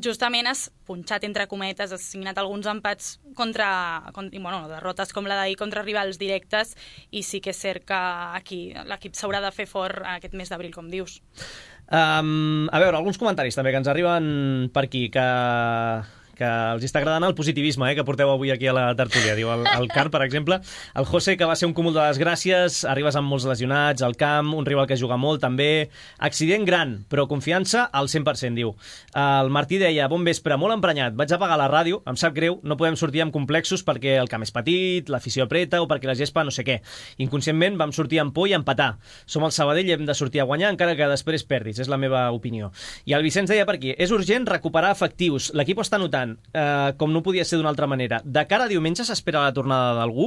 [SPEAKER 5] justament has punxat entre cometes, has signat alguns empats contra, contra bueno, derrotes com la d'ahir contra rivals directes, i sí que és cert que aquí l'equip s'haurà de fer fort aquest mes d'abril, com dius.
[SPEAKER 2] Um, a veure, alguns comentaris també que ens arriben per aquí, que... que els està agradant el positivisme eh, que porteu avui aquí a la tertúlia. Diu el, el Car, per exemple, el José, que va ser un cúmul de desgràcies, arribes amb molts lesionats, al camp, un rival que juga molt també, accident gran, però confiança al cent per cent, diu. El Martí deia, bon vespre, molt emprenyat, vaig apagar la ràdio, em sap greu, no podem sortir amb complexos perquè el camp és petit, l'afició apreta o perquè la gespa no sé què. Inconscientment vam sortir amb por i empatar. Som el Sabadell i hem de sortir a guanyar encara que després perdis, és la meva opinió. I el Vicenç deia per aquí, és urgent recuperar efectius, l'equip ho està notant, Uh, com no podia ser d'una altra manera. De cara a diumenge s'espera la tornada d'algú?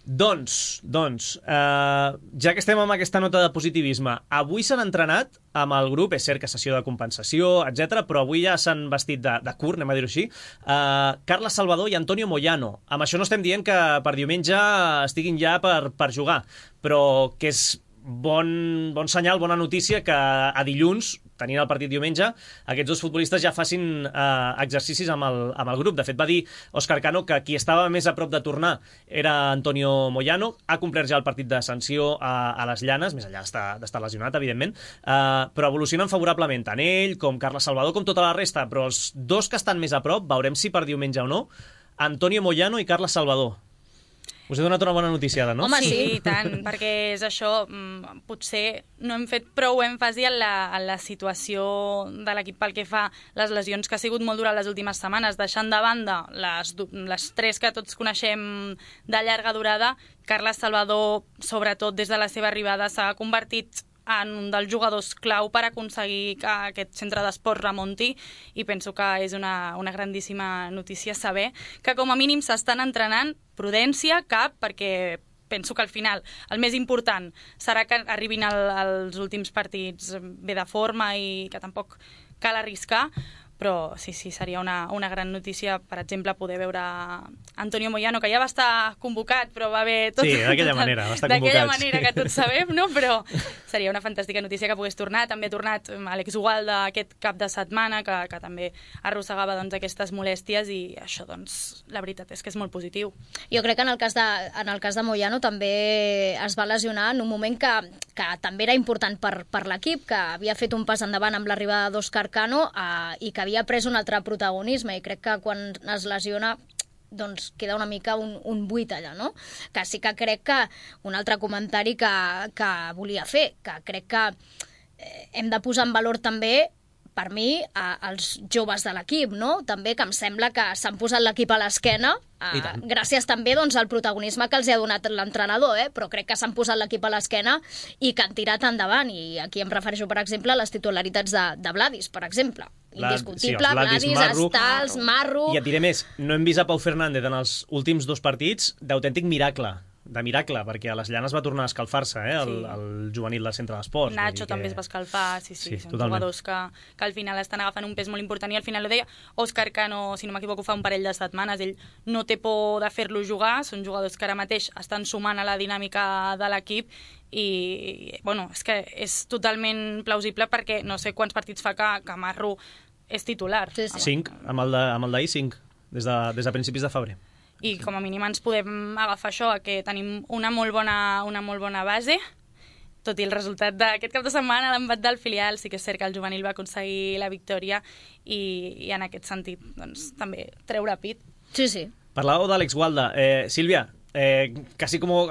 [SPEAKER 2] Doncs, doncs uh, ja que estem amb aquesta nota de positivisme, avui s'han entrenat amb el grup, és cert que sessió de compensació, etcètera, però avui ja s'han vestit de, de curt, anem a dir-ho així, uh, Carles Salvador i Antonio Moyano. Amb això no estem dient que per diumenge estiguin ja per, per jugar, però que és bon, bon senyal, bona notícia que a dilluns, tenint el partit diumenge, aquests dos futbolistes ja facin eh, exercicis amb el, amb el grup. De fet, va dir Òscar Cano que qui estava més a prop de tornar era Antonio Moyano, ha complert ja el partit de sanció a, a les Llanes, més enllà d'estar lesionat, evidentment, eh, però evolucionen favorablement, tant ell com Carles Salvador, com tota la resta, però els dos que estan més a prop, veurem si per diumenge o no, Antonio Moyano i Carles Salvador. Us he donat una bona notícia, no?
[SPEAKER 3] Home, sí,
[SPEAKER 5] sí, tant, perquè és això, potser no hem fet prou èmfasi en la, en la situació de l'equip pel que fa les lesions que ha sigut molt dura les últimes setmanes, deixant de banda les, les tres que tots coneixem de llarga durada. Carles Salvador, sobretot des de la seva arribada, s'ha convertit en un dels jugadors clau per aconseguir que aquest centre d'esport remunti, i penso que és una, una grandíssima notícia saber que com a mínim s'estan entrenant. Prudència, cap, perquè penso que al final el més important serà que arribin el, els últims partits bé de forma i que tampoc cal arriscar, però sí, sí, seria una, una gran notícia, per exemple, poder veure Antonio Moyano, que ja va estar convocat, però va haver... Tot,
[SPEAKER 2] sí, d'aquella manera, va estar convocat.
[SPEAKER 5] D'aquella manera que tots sabem, no? Però seria una fantàstica notícia que pogués tornar. També ha tornat Àlex Ugalde aquest cap de setmana, que, que també arrossegava doncs, aquestes molèsties, i això, doncs, la veritat és que és molt positiu.
[SPEAKER 3] Jo crec que en el cas de, en el cas de Moyano també es va lesionar en un moment que, que també era important per, per l'equip, que havia fet un pas endavant amb l'arribada d'Òscar Cano eh, i que havia pres un altre protagonisme, i crec que quan es lesiona doncs queda una mica un, un buit allà, no? Que sí que crec que un altre comentari que, que volia fer, que crec que eh, hem de posar en valor també, per mi, a, als joves de l'equip, no? També que em sembla que s'han posat l'equip a l'esquena, eh, gràcies també doncs, al protagonisme que els ha donat l'entrenador, eh? Però crec que s'han posat l'equip a l'esquena i que han tirat endavant, i aquí em refereixo, per exemple, a les titularitats de, de Vladis, per exemple. indiscutible,
[SPEAKER 2] sí,
[SPEAKER 3] Vladis,
[SPEAKER 2] Marru,
[SPEAKER 3] Stals, Marru...
[SPEAKER 2] I et diré més, no hem vist a Pau Fernández en els últims dos partits d'autèntic miracle, de miracle, perquè a les llanes va tornar a escalfar-se, eh, el,
[SPEAKER 5] Sí.
[SPEAKER 2] el juvenil del centre d'esports.
[SPEAKER 5] Nacho
[SPEAKER 2] que...
[SPEAKER 5] també es va escalfar, sí, sí,
[SPEAKER 2] Sí,
[SPEAKER 5] són
[SPEAKER 2] totalment.
[SPEAKER 5] jugadors que, que al final estan agafant un pes molt important i al final ho deia Òscar Cano, si no m'equivoco, fa un parell de setmanes, ell no té por de fer-lo jugar, són jugadors que ara mateix estan sumant a la dinàmica de l'equip i, bueno, és que és totalment plausible perquè no sé quants partits fa que, que Marru és titular.
[SPEAKER 3] Sí, sí.
[SPEAKER 2] Cinc, amb el de- amb el d'ahir cinc, des de, des de principis de febrer.
[SPEAKER 5] I com a mínim ens podem agafar això, que tenim una molt bona, una molt bona base, tot i el resultat d'aquest cap de setmana, l'empat del filial, sí que és cert que el juvenil va aconseguir la victòria i, i en aquest sentit doncs, també treure pit.
[SPEAKER 3] Sí, sí.
[SPEAKER 2] Parlàveu d'Àlex Gualda. Eh, Silvia, eh, casi como,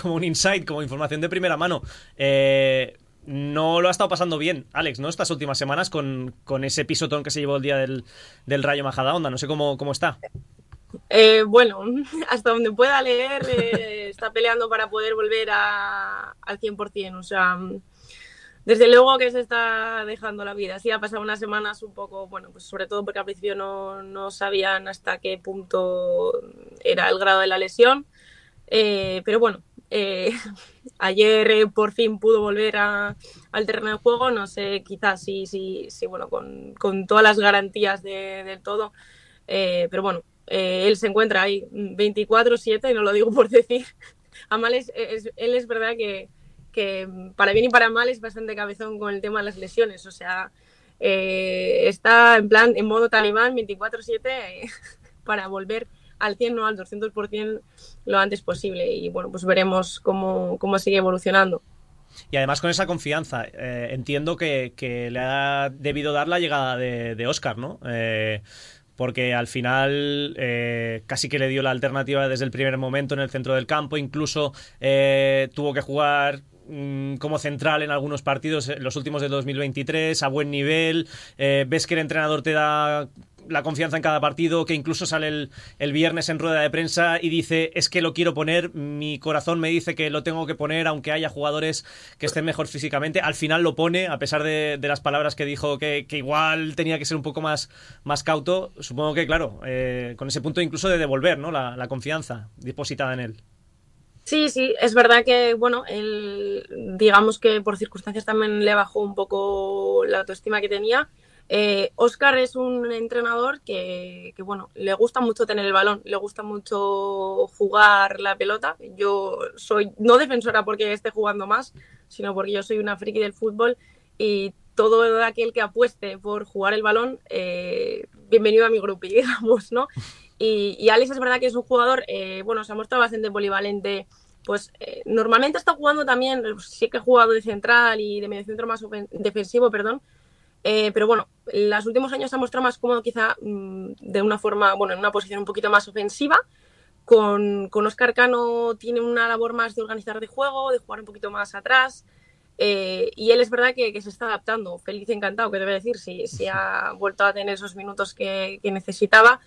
[SPEAKER 2] como un insight, como información de primera mano. Eh, no lo ha estado pasando bien, Alex, ¿no? Estas últimas semanas con, con ese pisotón que se llevó el día del, del Rayo Majadahonda. No sé cómo, cómo está.
[SPEAKER 4] Eh, bueno, hasta donde pueda leer, eh, está peleando para poder volver a, al cien por ciento. O sea, desde luego que se está dejando la vida. Sí, ha pasado unas semanas un poco, bueno, pues sobre todo porque al principio no, no sabían hasta qué punto era el grado de la lesión. Eh, pero bueno, eh, ayer eh, por fin pudo volver a, al terreno de juego. No sé, quizás sí, sí, sí, bueno, con, con todas las garantías de, del todo. Eh, pero bueno, eh, él se encuentra ahí veinticuatro siete, no lo digo por decir. A mal es, es, él es verdad que, que para bien y para mal es bastante cabezón con el tema de las lesiones. O sea, eh, está en plan, en modo talibán, veinticuatro siete, eh, para volver al cien, no al doscientos por ciento lo antes posible. Y bueno, pues veremos cómo, cómo sigue evolucionando.
[SPEAKER 2] Y además con esa confianza, eh, entiendo que, que le ha debido dar la llegada de, de Óscar, ¿no? Eh, porque al final eh, casi que le dio la alternativa desde el primer momento en el centro del campo, incluso eh, tuvo que jugar mmm, como central en algunos partidos, en los últimos del dos mil veintitrés, a buen nivel, eh, ves que el entrenador te da la confianza en cada partido, que incluso sale el, el viernes en rueda de prensa y dice, es que lo quiero poner, mi corazón me dice que lo tengo que poner, aunque haya jugadores que estén mejor físicamente. Al final lo pone, a pesar de, de las palabras que dijo que, que igual tenía que ser un poco más, más cauto. Supongo que, claro, eh, con ese punto incluso de devolver, ¿no?, la, la confianza depositada en él.
[SPEAKER 4] Sí, sí, es verdad que, bueno, él, digamos que por circunstancias también le bajó un poco la autoestima que tenía. Eh, Óscar es un entrenador que, que, bueno, le gusta mucho tener el balón, le gusta mucho jugar la pelota. Yo soy no defensora porque esté jugando más, sino porque yo soy una friki del fútbol y todo aquel que apueste por jugar el balón, eh, bienvenido a mi grupo, digamos, ¿no? Y, y Alex es verdad que es un jugador, eh, bueno, se ha mostrado bastante polivalente. Pues eh, normalmente está jugando también, sí que ha jugado de central y de mediocentro más defensivo, perdón. Eh, pero bueno, en los últimos años se ha mostrado más cómodo quizá mmm, de una forma, bueno, en una posición un poquito más ofensiva. Con, con Óscar Cano tiene una labor más de organizar de juego, de jugar un poquito más atrás. Eh, y él es verdad que, que se está adaptando, feliz y encantado, que debe decir, si, si ha vuelto a tener esos minutos que, que necesitaba.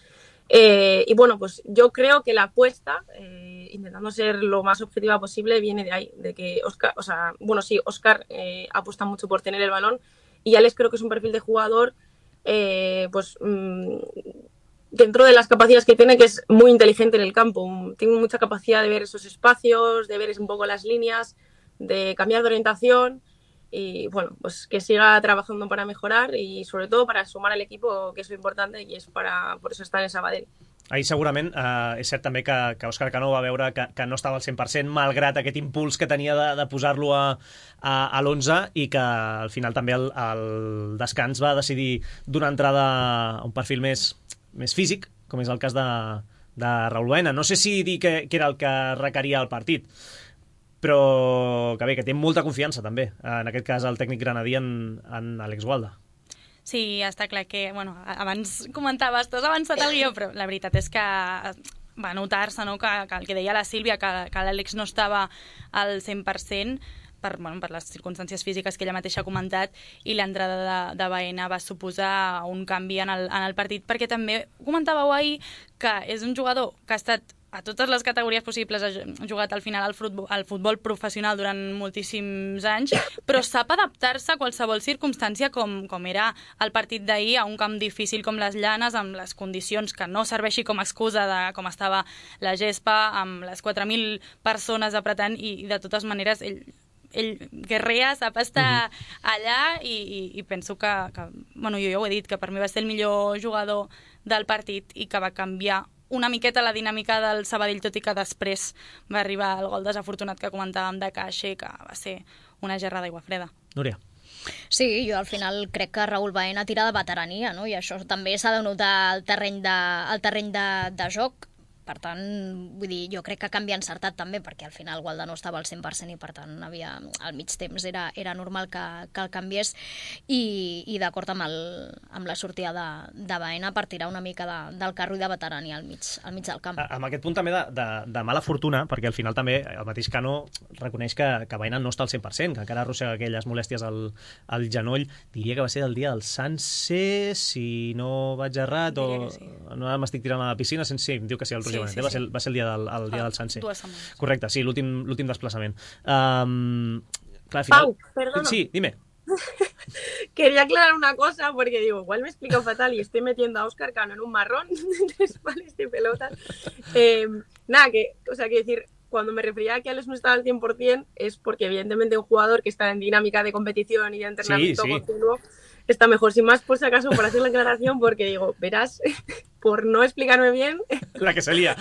[SPEAKER 4] Eh, y bueno, pues yo creo que la apuesta, eh, intentando ser lo más objetiva posible, viene de ahí, de que Óscar, o sea, bueno, sí, Óscar eh, apuesta mucho por tener el balón. Y Alex creo que es un perfil de jugador, eh, pues mmm, dentro de las capacidades que tiene, que es muy inteligente en el campo. Tiene mucha capacidad de ver esos espacios, de ver un poco las líneas, de cambiar de orientación y bueno, pues que siga trabajando para mejorar y sobre todo para sumar al equipo, que es lo importante y es para, por eso está en el Sabadell.
[SPEAKER 2] Ahir segurament eh, és cert també que, que Òscar Cano va veure que, que no estava al cent per cent malgrat aquest impuls que tenia de, de posar-lo a, a, a l'onze i que al final també el, el descans va decidir donar entrada a un perfil més, més físic, com és el cas de, de Raúl Baena. No sé si dir que, que era el que requeria el partit, però que bé, que té molta confiança també, en aquest cas el tècnic granadí en, en Àlex Gualda.
[SPEAKER 5] Sí, està clar que, bueno, abans comentaves, t'has avançat el guió, però la veritat és que va notar-se, no?, que, que el que deia la Sílvia, que, que l'Àlex no estava al cent per cent per, bueno, per les circumstàncies físiques que ella mateixa ha comentat, i l'entrada de, de Baena va suposar un canvi en el, en el partit, perquè també comentàveu ahir que és un jugador que ha estat a totes les categories possibles, ha jugat al final al futbol, al futbol professional durant moltíssims anys, però sap adaptar-se a qualsevol circumstància com, com era el partit d'ahir, a un camp difícil com les Llanes, amb les condicions que no serveixi com a excusa de com estava la gespa, amb les quatre mil persones apretant, i, i de totes maneres ell, ell guerrea, sap estar uh-huh. allà, i, i, i penso que, que, bueno, jo ja ho he dit, que per mi va ser el millor jugador del partit i que va canviar una miqueta la dinàmica del Sabadell, tot i que després va arribar el gol desafortunat que comentàvem de Caixer, que va ser una gerra d'aigua freda.
[SPEAKER 2] Núria.
[SPEAKER 3] Sí, jo al final crec que Raül Baena tira de veterania, no? I això també s'ha de notar al terreny de, al terreny de, de joc. Per tant, vull dir, jo crec que canvia encertat també, perquè al final Gualda no estava al cent per cent i per tant havia, al mig temps era, era normal que, que el canviés, i, i d'acord amb, el, amb la sortida de, de Baena per tirar una mica de, del carro i de veterania al mig, al mig del camp.
[SPEAKER 2] Amb aquest punt també de, de, de mala fortuna, perquè al final també el mateix Cano reconeix que, que Baena no està al cent per cent, que encara arrossega aquelles molèsties al, al genoll. Diria que va ser el dia del Sanse, si no vaig errat, o sí. No m'estic tirant a la piscina, sense, sí, em diu que sí, el Roger Benet, sí, sí, va, ser, va ser el dia del, el dia del Sanse.
[SPEAKER 5] Dues setmanes.
[SPEAKER 2] Correcte, sí, l'últim desplaçament. Um, clar, al final...
[SPEAKER 4] Pau, perdona.
[SPEAKER 2] Sí, dime.
[SPEAKER 4] Quería aclarar una cosa, porque digo, igual me explico fatal y estoy metiendo a Óscar Cano en un marrón de tres palos de pelotas. Eh, nada, que, o sea, que decir, cuando me refería a que Alex no estaba al cien por cien es porque evidentemente un jugador que está en dinámica de competición y de entrenamiento sí, sí. continuo está mejor. Sin más, por si acaso, por hacer la aclaración, porque digo, verás, por no explicarme bien...
[SPEAKER 2] La que salía.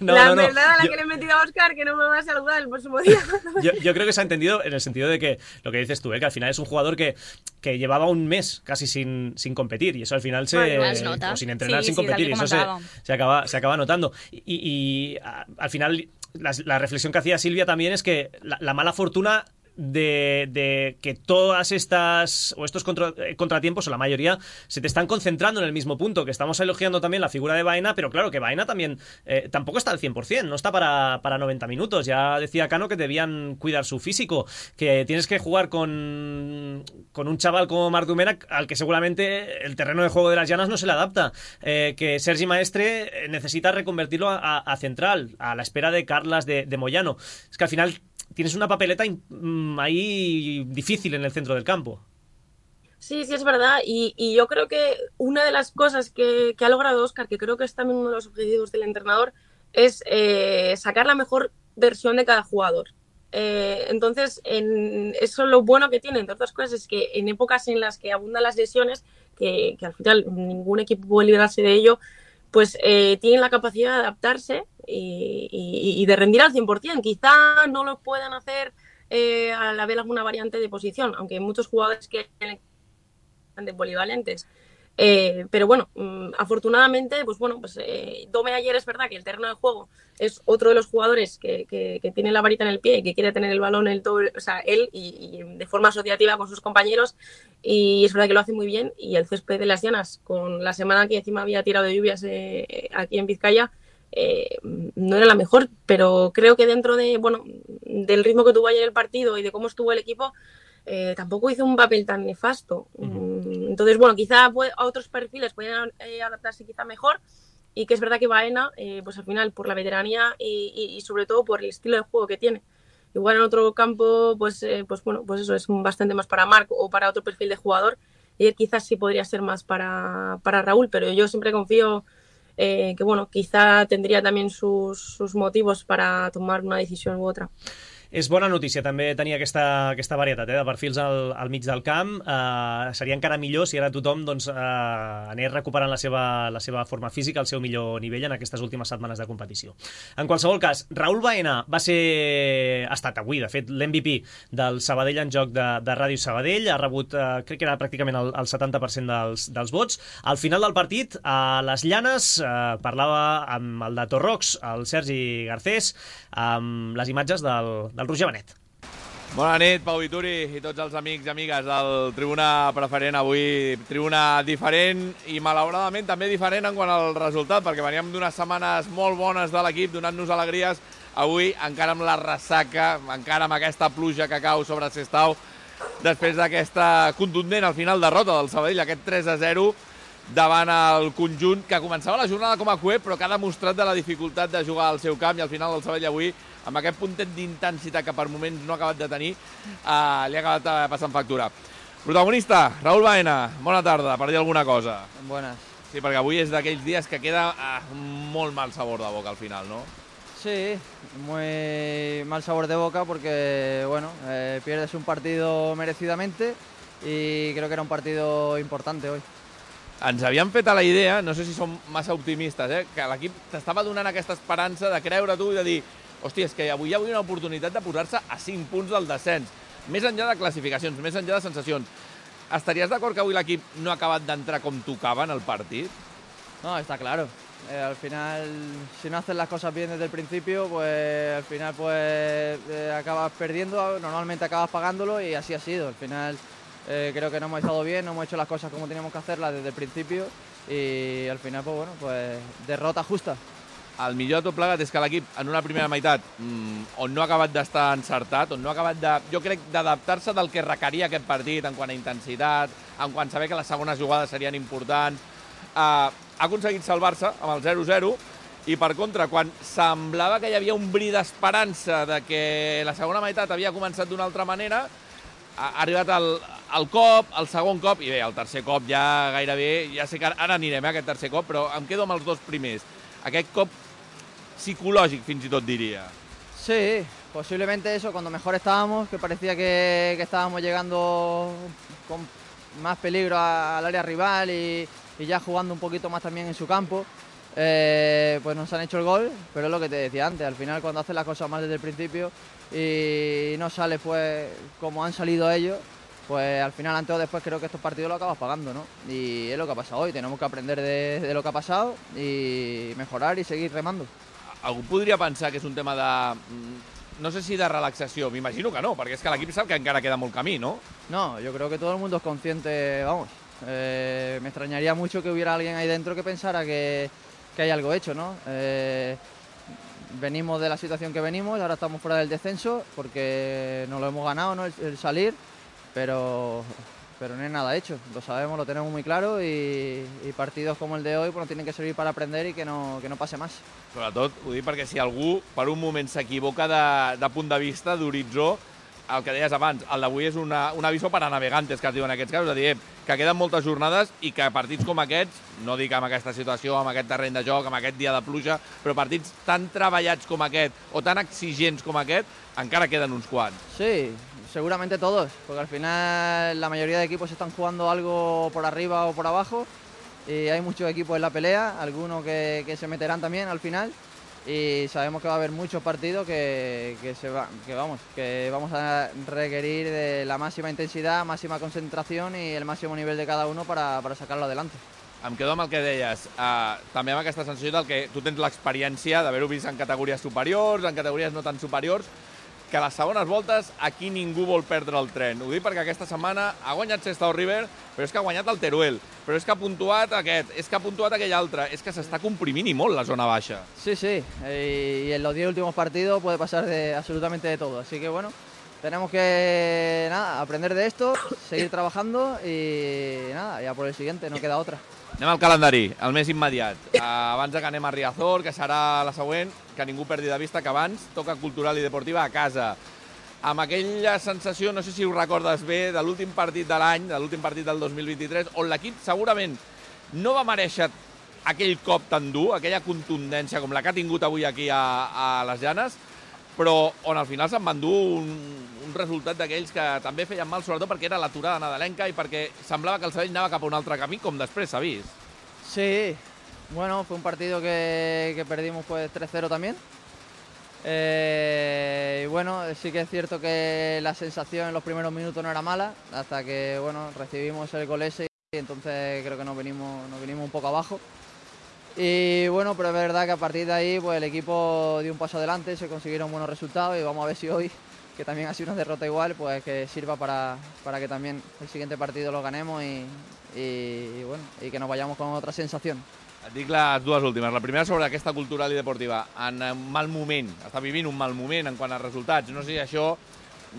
[SPEAKER 2] No,
[SPEAKER 4] la
[SPEAKER 2] no, no.
[SPEAKER 4] verdad a la
[SPEAKER 2] yo...
[SPEAKER 4] que le he metido a Óscar, que no me va a saludar el próximo día.
[SPEAKER 2] yo, yo creo que se ha entendido en el sentido de que, lo que dices tú, ¿eh? Que al final es un jugador que, que llevaba un mes casi sin, sin competir, y eso al final se...
[SPEAKER 3] Bueno,
[SPEAKER 2] o sin entrenar,
[SPEAKER 5] sí,
[SPEAKER 2] sin
[SPEAKER 5] sí,
[SPEAKER 2] competir, y eso se, se, acaba, se acaba notando. Y, y a, al final, la, la reflexión que hacía Silvia también es que la, la mala fortuna... De, de que todas estas o estos contra, contratiempos, o la mayoría, se te están concentrando en el mismo punto, que estamos elogiando también la figura de Baena, pero claro que Baena también eh, tampoco está al cien por cien, no está para, para noventa minutos. Ya decía Cano que debían cuidar su físico, que tienes que jugar con, con un chaval como Marc Domènech, al que seguramente el terreno de juego de las Llanas no se le adapta, eh, que Sergi Maestre necesita reconvertirlo a, a central, a la espera de Carlas, de, de Moyano. Es que al final tienes una papeleta ahí difícil en el centro del campo.
[SPEAKER 4] Sí, sí, es verdad. Y, y yo creo que una de las cosas que, que ha logrado Óscar, que creo que es también uno de los objetivos del entrenador, es eh, sacar la mejor versión de cada jugador. Eh, entonces, en, eso lo bueno que tiene, entre otras cosas, es que en épocas en las que abundan las lesiones, que, que al final ningún equipo puede librarse de ello, pues eh, tienen la capacidad de adaptarse y, y, y de rendir al cien por cien. Quizá no lo puedan hacer eh, al haber alguna variante de posición, aunque hay muchos jugadores que de polivalentes. Eh, pero bueno, mmm, afortunadamente, pues bueno, pues eh, Dome ayer es verdad que el terreno de juego es otro de los jugadores que, que, que tiene la varita en el pie y que quiere tener el balón el todo, o sea, él y, y de forma asociativa con sus compañeros, y es verdad que lo hace muy bien. Y el césped de las Llanas, con la semana que encima había tirado de lluvias eh, aquí en Vizcaya, eh, no era la mejor, pero creo que dentro de, bueno, del ritmo que tuvo ayer el partido y de cómo estuvo el equipo, Eh, tampoco hizo un papel tan nefasto. Uh-huh. Entonces, bueno, quizá a otros perfiles podrían eh, adaptarse quizá mejor, y que es verdad que Baena, eh, pues al final, por la veteranía y, y, y sobre todo por el estilo de juego que tiene. Igual en otro campo, pues, eh, pues bueno, pues eso es bastante más para Marc o para otro perfil de jugador, y él quizás sí podría ser más para, para Raúl, pero yo siempre confío eh, que, bueno, quizá tendría también sus, sus motivos para tomar una decisión u otra.
[SPEAKER 2] És bona notícia també tenir aquesta, aquesta varietat eh, de perfils al, al mig del camp. Uh, seria encara millor si ara tothom doncs, uh, anés recuperant la seva, la seva forma física, el seu millor nivell en aquestes últimes setmanes de competició. En qualsevol cas, Raül Baena va ser, ha estat avui, de fet, l'M V P del Sabadell en joc de, de Ràdio Sabadell. Ha rebut, uh, crec que era pràcticament el, el setanta per cent dels, dels vots. Al final del partit, a les Llanes, uh, parlava amb el de Torrox, el Sergi Garcés, amb les imatges del, del del Roger Benet.
[SPEAKER 6] Bona nit, Pau Vituri i tots els amics i amigues del Tribuna Preferent. Avui tribuna diferent i malauradament també diferent en quant al resultat, perquè veníem d'unes setmanes molt bones de l'equip, donant-nos alegries. Avui encara amb la ressaca, encara amb aquesta pluja que cau sobre Sestao, després d'aquesta contundent al final derrota del Sabadell, aquest tres a zero, davant el conjunt que començava la jornada com a cué, però que ha demostrat de la dificultat de jugar al seu camp, i al final el Sabadell avui, amb aquest puntet d'intensitat que per moments no ha acabat de tenir, eh, li ha acabat eh, passant factura. Protagonista, Raúl Baena, bona tarda, per dir alguna cosa.
[SPEAKER 7] Buenas.
[SPEAKER 6] Sí, perquè avui és d'aquells dies que queda eh, molt mal sabor de boca al final, ¿no?
[SPEAKER 7] Sí, muy mal sabor de boca porque, bueno, eh, pierdes un partido merecidamente y creo que era un partido importante hoy.
[SPEAKER 6] Ens havíem fet a la idea, no sé si som massa optimistes, eh, que l'equip t'estava donant aquesta esperança de creure tu i de dir hòstia, és que avui hi havia una oportunitat de posar-se a cinc punts del descens, més enllà de classificacions, més enllà de sensacions. Estaries d'acord que avui l'equip no ha acabat d'entrar com tocava en el partit?
[SPEAKER 7] No, está claro. Eh, al final, si no haces las cosas bien desde el principio, pues al final pues eh, acabas perdiendo, normalmente acabas pagándolo y así ha sido. Al final eh, creo que no hemos estado bien, no hemos hecho las cosas como teníamos que hacerlas desde el principio y al final pues bueno, pues derrota justa.
[SPEAKER 6] El millor de tot plegat és que l'equip en una primera meitat mmm, on no ha acabat d'estar encertat, on no ha acabat de, jo crec, d'adaptar-se del que requeria aquest partit en quant a intensitat, en quant a saber que les segones jugades serien importants, eh, ha aconseguit salvar-se amb el zero zero i per contra, quan semblava que hi havia un bri d'esperança de que la segona meitat havia començat d'una altra manera, ha arribat el, el cop, el segon cop, i bé, el tercer cop ja gairebé, ja sé que ara anirem a aquest tercer cop, però em quedo amb els dos primers. Aquest cop psicològic, fins i tot diria.
[SPEAKER 7] Sí, posiblemente eso, cuando mejor estábamos, que parecía que, que estábamos llegando con más peligro a, al área rival y, y ya jugando un poquito más también en su campo, eh, pues nos han hecho el gol, pero es lo que te decía antes, al final cuando haces las cosas mal desde el principio y no sale pues como han salido ellos, pues al final antes o después creo que estos partidos lo acabas pagando, ¿no? Y es lo que ha pasado hoy, tenemos que aprender de, de lo que ha pasado y mejorar y seguir remando.
[SPEAKER 6] Algú podria pensar que és un tema de... no sé si de relaxació, m'imagino que no, perquè és que l'equip sap que encara queda molt camí, ¿no?
[SPEAKER 7] No, yo creo que todo el mundo es consciente, vamos, eh, me extrañaría mucho que hubiera alguien ahí dentro que pensara que, que hay algo hecho, ¿no? Eh, venimos de la situación que venimos, ahora estamos fuera del descenso porque nos lo hemos ganado, ¿no? El, el salir, pero... pero no es nada hecho, lo sabemos, lo tenemos muy claro y, y partidos como el de hoy pues, nos tienen que servir para aprender y que no, que no pase más.
[SPEAKER 6] Sobretot, ho dic perquè si algú per un moment s'equivoca de, de punt de vista, d'horitzó, el que deies abans, el d'avui és una, un aviso para navegantes, que es diu en aquests casos, és a dir, que queden moltes jornades i que partits com aquests, no dic amb aquesta situació, amb aquest terreny de joc, amb aquest dia de pluja, però partits tan treballats com aquest o tan exigents com aquest, encara queden uns quants.
[SPEAKER 7] Sí, seguramente todos, porque al final la mayoría de equipos están jugando algo por arriba o por abajo y hay muchos equipos en la pelea, algunos que, que se meterán también al final y sabemos que va a haber muchos partidos que, que, se va, que, vamos, que vamos a requerir de la máxima intensidad, máxima concentración y el máximo nivel de cada uno para, para sacarlo adelante.
[SPEAKER 6] Em quedo amb el que deies, uh, també amb aquesta sensació del que tu tens l'experiència d'haver-ho vist en categories superiors, en categories no tan superiors, que a les segones voltes aquí ningú vol perdre el tren. Ho dic perquè aquesta setmana ha guanyat Sestao River, però és que ha guanyat el Teruel, però és que ha puntuat aquest, és que ha puntuat aquell altre, és que s'està comprimint i molt la zona baixa.
[SPEAKER 7] Sí, sí, y en los diez últimos partidos puede pasar de absolutamente de todo, así que bueno, tenemos que nada, aprender de esto, seguir trabajando y nada, ya por el siguiente, no queda otra.
[SPEAKER 6] Anem al calendari, el més immediat. Uh, abans que anem a Riazor, que serà la següent, que ningú perdi de vista que abans toca Cultural i Deportiva a casa. Amb aquella sensació, no sé si ho recordes bé, de l'últim partit de l'any, de l'últim partit del dos mil vint-i-tres, on l'equip segurament no va mereixer aquell cop tan dur, aquella contundència com la que ha tingut avui aquí a, a les Llanes, però on al final se'n van dur un, un resultat d'aquells que també feien mal, sobretot perquè era l'aturada nadalenca i perquè semblava que el Sabadell anava cap a un altre camí, com després s'ha vist.
[SPEAKER 7] Sí, bueno, fue un partido que, que perdimos pues tres cero también. Eh, y bueno, sí que es cierto que la sensación en los primeros minutos no era mala, hasta que bueno, recibimos el gol ese y entonces creo que nos vinimos, nos vinimos un poco abajo. Y bueno, pero es verdad que a partir de ahí pues el equipo dio un paso adelante, se consiguieron buenos resultados y vamos a ver si hoy, que también ha sido una derrota igual, pues que sirva para, para que también el siguiente partido lo ganemos y, y, y bueno, y que nos vayamos con otra sensación.
[SPEAKER 6] Et dic les dues últimes. La primera sobre aquesta Cultural i Deportiva. En un mal moment, està vivint un mal moment en quant a resultats. No sé si això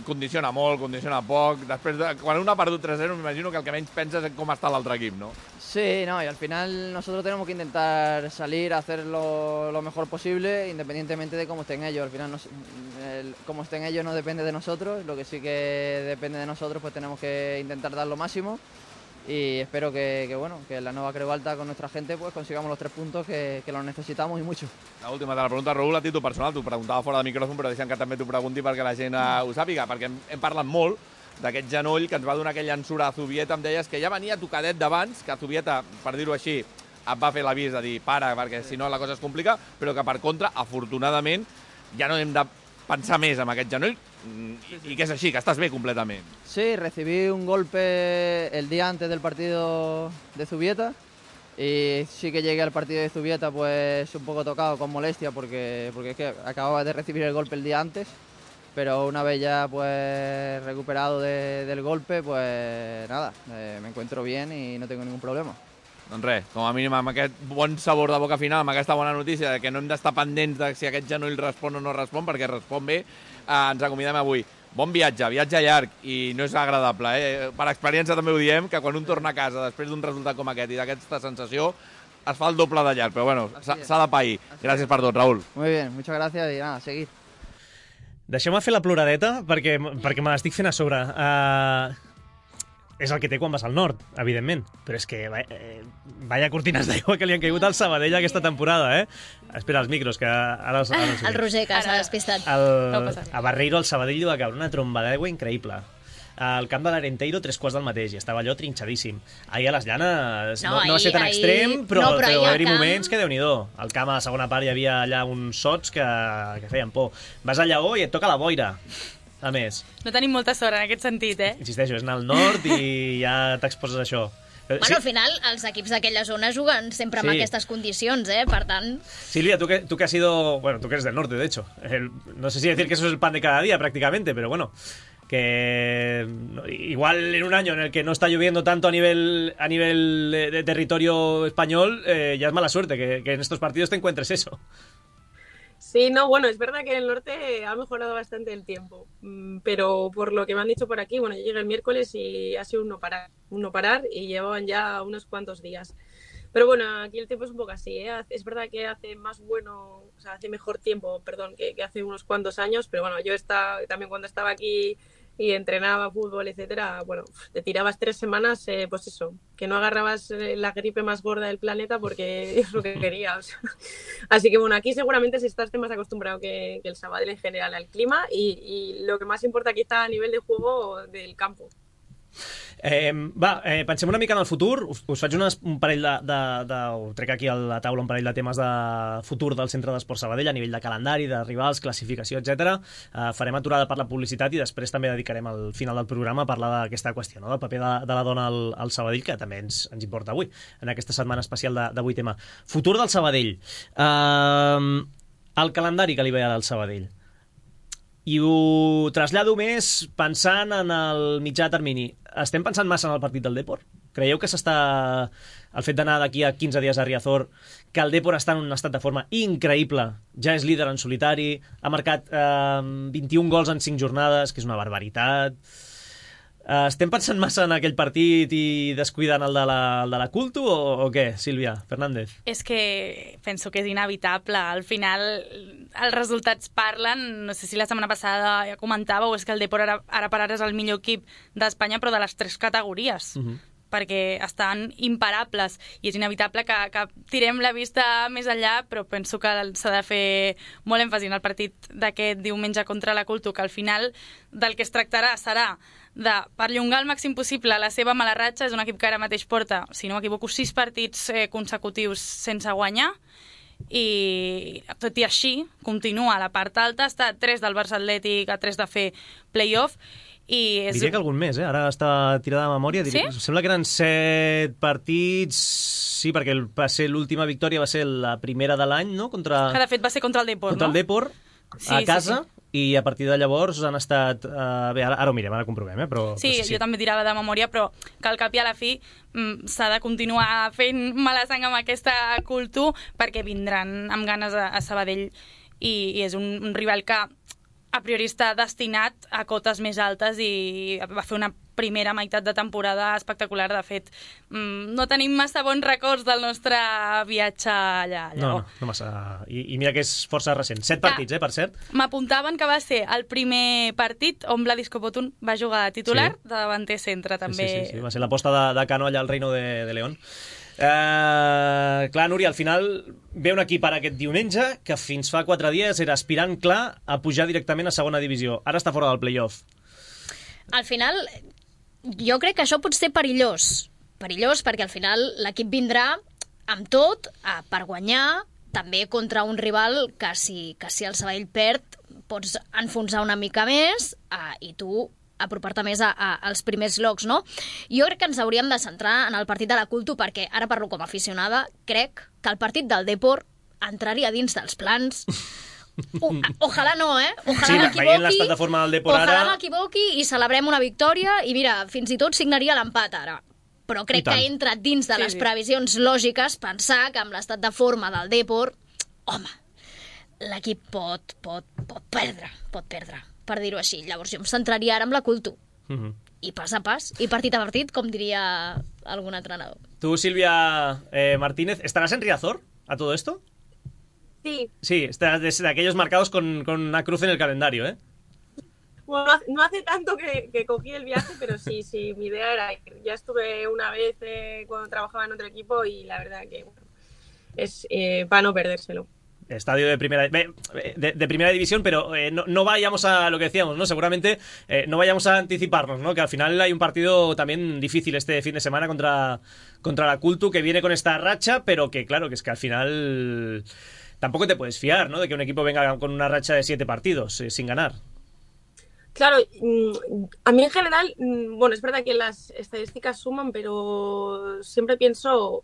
[SPEAKER 6] condiciona molt, condiciona poc. Després, de, quan un ha perdut tres a zero, m'imagino que el que menys penses és com està l'altre equip, ¿no?
[SPEAKER 7] Sí, no, y al final nosotros tenemos que intentar salir a hacer lo, lo mejor posible, independientemente de cómo estén ellos. Al final, no, el, cómo estén ellos no depende de nosotros, lo que sí que depende de nosotros, pues tenemos que intentar dar lo máximo. Y espero que, que, bueno, que en la nueva Creu Alta con nuestra gente pues consigamos los tres puntos que, que los necesitamos y mucho.
[SPEAKER 6] La última de la pregunta, Raül, a títol personal, t'ho preguntava fora de micròfon, però deixem que també t'ho pregunti perquè la gent eh, ho sàpiga, perquè hem, hem parlat molt d'aquest genoll que ens va donar aquella ensura a Zubieta, em deies que ja venia tocadet d'abans, que Zubieta, per dir-ho així, et va fer l'avís de dir para, perquè si no la cosa es complica, però que per contra, afortunadament, ja no hem de pensar més en aquest genoll, y, y que es así, que estás bien completamente.
[SPEAKER 7] Sí, recibí un golpe el día antes del partido de Zubieta y sí que llegué al partido de Zubieta pues un poco tocado, con molestia, porque, porque es que acababa de recibir el golpe el día antes, pero una vez ya pues recuperado de, del golpe, pues nada, eh, me encuentro bien y no tengo ningún problema.
[SPEAKER 6] Doncs res, com a mínim amb aquest bon sabor de boca final, amb aquesta bona notícia de que no hem d'estar pendents de si aquest genoll respon o no respon, perquè respon bé, eh, ens acomiadem avui. Bon viatge, viatge llarg, i no és agradable, eh? Per experiència també ho diem, que quan un torna a casa després d'un resultat com aquest i d'aquesta sensació, es fa el doble de llarg, però bueno, s'ha de pair. Gràcies per tot, Raül.
[SPEAKER 7] Muy bien, muchas gracias y nada, seguir.
[SPEAKER 2] Deixeu-me fer la ploradeta, perquè, perquè me l'estic fent a sobre. Uh... És el que té quan vas al nord, evidentment. Però és que eh, vaya cortines d'aigua que li han caigut al Sabadell aquesta temporada, eh? Espera, els micros, que ara... ara
[SPEAKER 3] ah, el Roger, que s'ha despistat.
[SPEAKER 2] El, a Barreiro, al Sabadell, li va caure una tromba d'aigua increïble. Al camp de l'Arenteiro, tres quarts del mateix, i estava allò trinxadíssim. Ahir a les Llanes no, no, no va ser tan ahir... extrem, però, no, però, però va haver-hi camp... moments que déu-n'hi-do. Al camp, a la segona part, hi havia allà uns sots que, que feien por. Vas a Lleó i et toca la boira. A més.
[SPEAKER 5] No tenim molta sort en aquest sentit, eh?
[SPEAKER 2] Insisteixo, és anar al nord i ja t'exposes a això.
[SPEAKER 3] Bueno, sí. Al final, els equips d'aquella zona juguen sempre sí. amb aquestes condicions, eh? Per tant...
[SPEAKER 2] Silvia, tú que, tú que has sido... Bueno, tú que eres del norte, de hecho. El, no sé si decir que eso es el pan de cada día, prácticamente, pero bueno... que igual en un año en el que no está lloviendo tanto a nivel a nivel de, de territorio español, eh, ya es mala suerte que, que en estos partidos te encuentres eso.
[SPEAKER 4] Sí, no, bueno, es verdad que en el norte ha mejorado bastante el tiempo, pero por lo que me han dicho por aquí, bueno, yo llegué el miércoles y ha sido un no parar, un no parar y llevaban ya unos cuantos días. Pero bueno, aquí el tiempo es un poco así, ¿eh? Es verdad que hace más bueno, o sea, hace mejor tiempo, perdón, que, que hace unos cuantos años, pero bueno, yo estaba, también cuando estaba aquí y entrenaba fútbol, etcétera, bueno, te tirabas tres semanas, eh, pues eso, que no agarrabas la gripe más gorda del planeta porque es lo que quería. O sea. Así que bueno, aquí seguramente si estás más acostumbrado que, que el Sabadell en general al clima y, y lo que más importa quizá a nivel de juego del campo.
[SPEAKER 2] Eh, va, eh, pensem una mica en el futur. Us, us faig unes, un parell de, de, de... Ho trec aquí a la taula un parell de temes de futur del Centre d'Esport Sabadell a nivell de calendari, de rivals, classificació, etcètera. Eh, farem aturada per la publicitat i després també dedicarem al final del programa a parlar d'aquesta qüestió, no? Del paper de, de la dona al, al Sabadell, que també ens, ens importa avui, en aquesta setmana especial de, de vuit ema. Futur del Sabadell. Eh, el calendari que li ve ara al Sabadell. I ho trasllado més pensant en el mitjà termini. Estem pensant massa en el partit del Depor? Creieu que s'està... El fet d'anar d'aquí a quinze dies a Riazor, que el Depor està en un estat de forma increïble, ja és líder en solitari, ha marcat eh, vint-i-un gols en cinc jornades, que és una barbaritat... Uh, estem pensant massa en aquell partit i descuidant el de la, el de la Cultu o, o què, Sílvia Fernández?
[SPEAKER 5] És que penso que és inevitable. Al final els resultats parlen. No sé si la setmana passada ja comentàveu, és que el Depor ara, ara per ara és el millor equip d'Espanya, però de les tres categories. Uh-huh. Perquè estan imparables i és inevitable que, que tirem la vista més enllà, però penso que s'ha de fer molt èmfasi en el partit d'aquest diumenge contra la Cultu, que al final del que es tractarà serà de perllongar al màxim possible la seva mala ratxa. És un equip que ara mateix porta, si no m'equivoco, sis partits eh, consecutius sense guanyar, i tot i així continua a la part alta, està a tres del Barça Atlètic, a tres de fer play-off. I és...
[SPEAKER 2] Diria que algun més, eh? Ara està tirada de memòria. Diria... Sí? Sembla que eren set partits... Sí, perquè va ser l'última victòria va ser la primera de l'any, no? Contra...
[SPEAKER 5] Que de fet va ser contra el Depor,
[SPEAKER 2] contra
[SPEAKER 5] no?
[SPEAKER 2] el Depor, sí, a casa, sí, sí. I a partir de llavors han estat... Uh, bé, ara, ara ho mirem, ara ho comprovem, eh? Però,
[SPEAKER 5] sí,
[SPEAKER 2] però sí, sí,
[SPEAKER 5] jo també tirava de memòria, però que al cap i a la fi mm, s'ha de continuar fent mala sang amb aquesta Cultu perquè vindran amb ganes a, a Sabadell i, i és un, un rival que a priori està destinat a cotes més altes i va fer una primera meitat de temporada espectacular. De fet, no tenim massa bons records del nostre viatge allà. allà.
[SPEAKER 2] No, no, no massa. I, I mira que és força recent. Set partits, eh, per cert.
[SPEAKER 5] M'apuntaven que va ser el primer partit on Vladis Kopotun va jugar de titular, sí. de davanter centre, també.
[SPEAKER 2] Sí, sí, sí. Va ser l'aposta de, de Cano allà al Reino de, de León. Uh, clar, Núria, al final ve un equip ara aquest diumenge que fins fa quatre dies era aspirant clar a pujar directament a segona divisió. Ara està fora del play-off.
[SPEAKER 3] Al final, jo crec que això pot ser perillós. Perillós perquè al final l'equip vindrà amb tot uh, per guanyar, també contra un rival que si, que si el Sabadell perd pots enfonsar una mica més uh, i tu apropar-te més a, a, als primers llocs, no? Jo crec que ens hauríem de centrar en el partit de la Culto perquè, ara parlo com a aficionada, crec que el partit del Depor entraria dins dels plans. O, ojalà no, eh? Ojalà
[SPEAKER 2] sí,
[SPEAKER 3] m'equivoqui.
[SPEAKER 2] veient l'estat de forma del Depor
[SPEAKER 3] ojalà
[SPEAKER 2] ara...
[SPEAKER 3] m'equivoqui i celebrem una victòria i mira, fins i tot signaria l'empat ara. Però crec que entra dins de les sí, sí. previsions lògiques pensar que amb l'estat de forma del Depor, home, l'equip pot, pot, pot perdre, pot perdre. Per dir-ho així. Llavors jo em centraria ara amb la Culto. Uh -huh. I pas a pas, i partit a partit, com diria algun entrenador.
[SPEAKER 2] Tu, Silvia eh, Martínez, ¿estarás en Riazor a todo esto?
[SPEAKER 4] Sí.
[SPEAKER 2] Sí, estás de, de aquellos marcados con, con una cruz en el calendario, ¿eh?
[SPEAKER 4] Bueno, no hace tanto que, que cogí el viaje, pero sí, sí, mi idea era ir. Ya estuve una vez eh, cuando trabajaba en otro equipo y la verdad que bueno, es eh, para no perdérselo.
[SPEAKER 2] Estadio de primera de, de primera división, pero eh, no, no vayamos a lo que decíamos, ¿no? Seguramente eh, no vayamos a anticiparnos, ¿no? Que al final hay un partido también difícil este fin de semana contra, contra la Culto, que viene con esta racha, pero que claro, que es que al final tampoco te puedes fiar, ¿no? De que un equipo venga con una racha de siete partidos eh, sin ganar.
[SPEAKER 4] Claro, a mí en general, bueno, es verdad que las estadísticas suman, pero siempre pienso...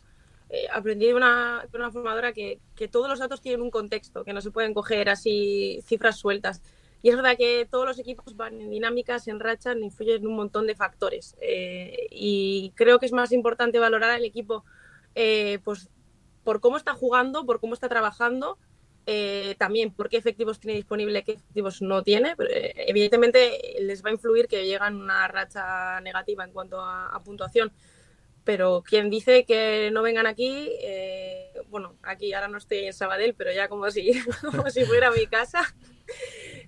[SPEAKER 4] Eh, aprendí de una, de una formadora que, que todos los datos tienen un contexto, que no se pueden coger así cifras sueltas. Y es verdad que todos los equipos van en dinámicas, en rachas, influyen en un montón de factores. Eh, y creo que es más importante valorar al equipo eh, pues, por cómo está jugando, por cómo está trabajando, eh, también por qué efectivos tiene disponible, qué efectivos no tiene. Pero, eh, evidentemente les va a influir que llegan una racha negativa en cuanto a, a puntuación. Pero quien dice que no vengan aquí, eh, bueno, aquí ahora no estoy en Sabadell, pero ya como si, como si fuera mi casa,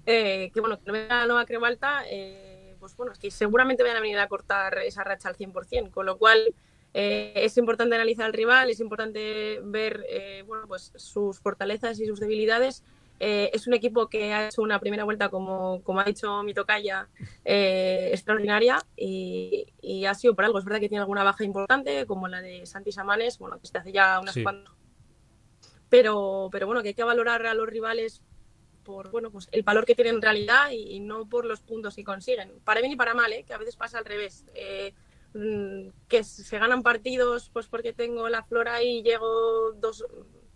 [SPEAKER 4] eh, que bueno, que no venga la Nova Creu Alta, eh, pues bueno, es que seguramente van a venir a cortar esa racha al cien por cien, con lo cual eh, es importante analizar al rival, es importante ver eh, bueno, pues sus fortalezas y sus debilidades. Eh, es un equipo que ha hecho una primera vuelta, como, como ha dicho mi tocaya, eh, extraordinaria y, y ha sido por algo. Es verdad que tiene alguna baja importante, como la de Santi Samanes, bueno, que se hace ya unas
[SPEAKER 2] sí.
[SPEAKER 4] cuantas. Pero, pero bueno, que hay que valorar a los rivales por bueno, pues el valor que tienen en realidad y, y no por los puntos que consiguen. Para bien y para mal, ¿eh? Que a veces pasa al revés. Eh, que se ganan partidos pues porque tengo la flora y llego dos...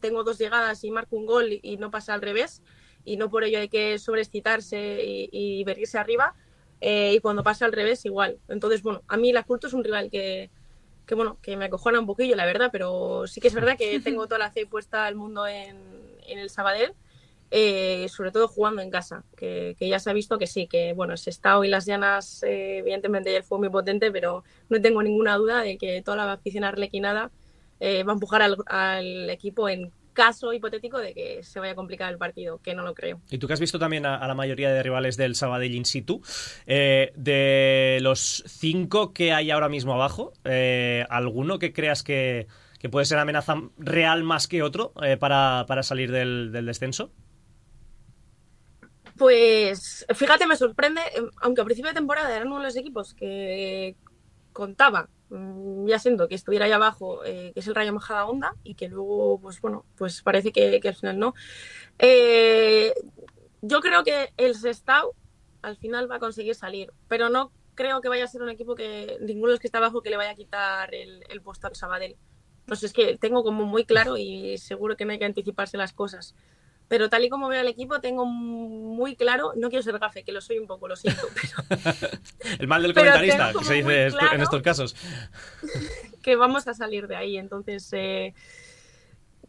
[SPEAKER 4] tengo dos llegadas y marco un gol y no pasa al revés y no por ello hay que sobreexcitarse y, y venirse arriba eh, y cuando pasa al revés igual. Entonces, bueno, a mí la Culto es un rival que, que, bueno, que me acojona un poquillo, la verdad, pero sí que es verdad que tengo toda la fe puesta al mundo en, en el Sabadell, eh, sobre todo jugando en casa, que, que ya se ha visto que sí, que bueno, Sestao y las Llanas, eh, evidentemente ayer fue muy potente, pero no tengo ninguna duda de que toda la afición arlequinada Eh, va a empujar al, al equipo en caso hipotético de que se vaya a complicar el partido, que no lo creo.
[SPEAKER 2] Y tú que has visto también a, a la mayoría de rivales del Sabadell in situ, eh, de los cinco que hay ahora mismo abajo, eh, ¿alguno que creas que, que puede ser amenaza real más que otro eh, para, para salir del, del descenso?
[SPEAKER 4] Pues fíjate, me sorprende, aunque a principio de temporada eran uno de los equipos que contaba ya siendo que estuviera ahí abajo, eh, que es el Rayo Majadahonda, y que luego, pues bueno, pues parece que, que al final no. Eh, yo creo que el Sestao al final va a conseguir salir, pero no creo que vaya a ser un equipo que ninguno de los que está abajo que le vaya a quitar el, el puesto al Sabadell. Entonces es que tengo como muy claro y seguro que no hay que anticiparse las cosas. Pero tal y como veo al equipo, tengo muy claro, no quiero ser gafe, que lo soy un poco, lo siento, pero...
[SPEAKER 2] El mal del comentarista, que se dice claro en estos casos.
[SPEAKER 4] Que vamos a salir de ahí, entonces... Eh,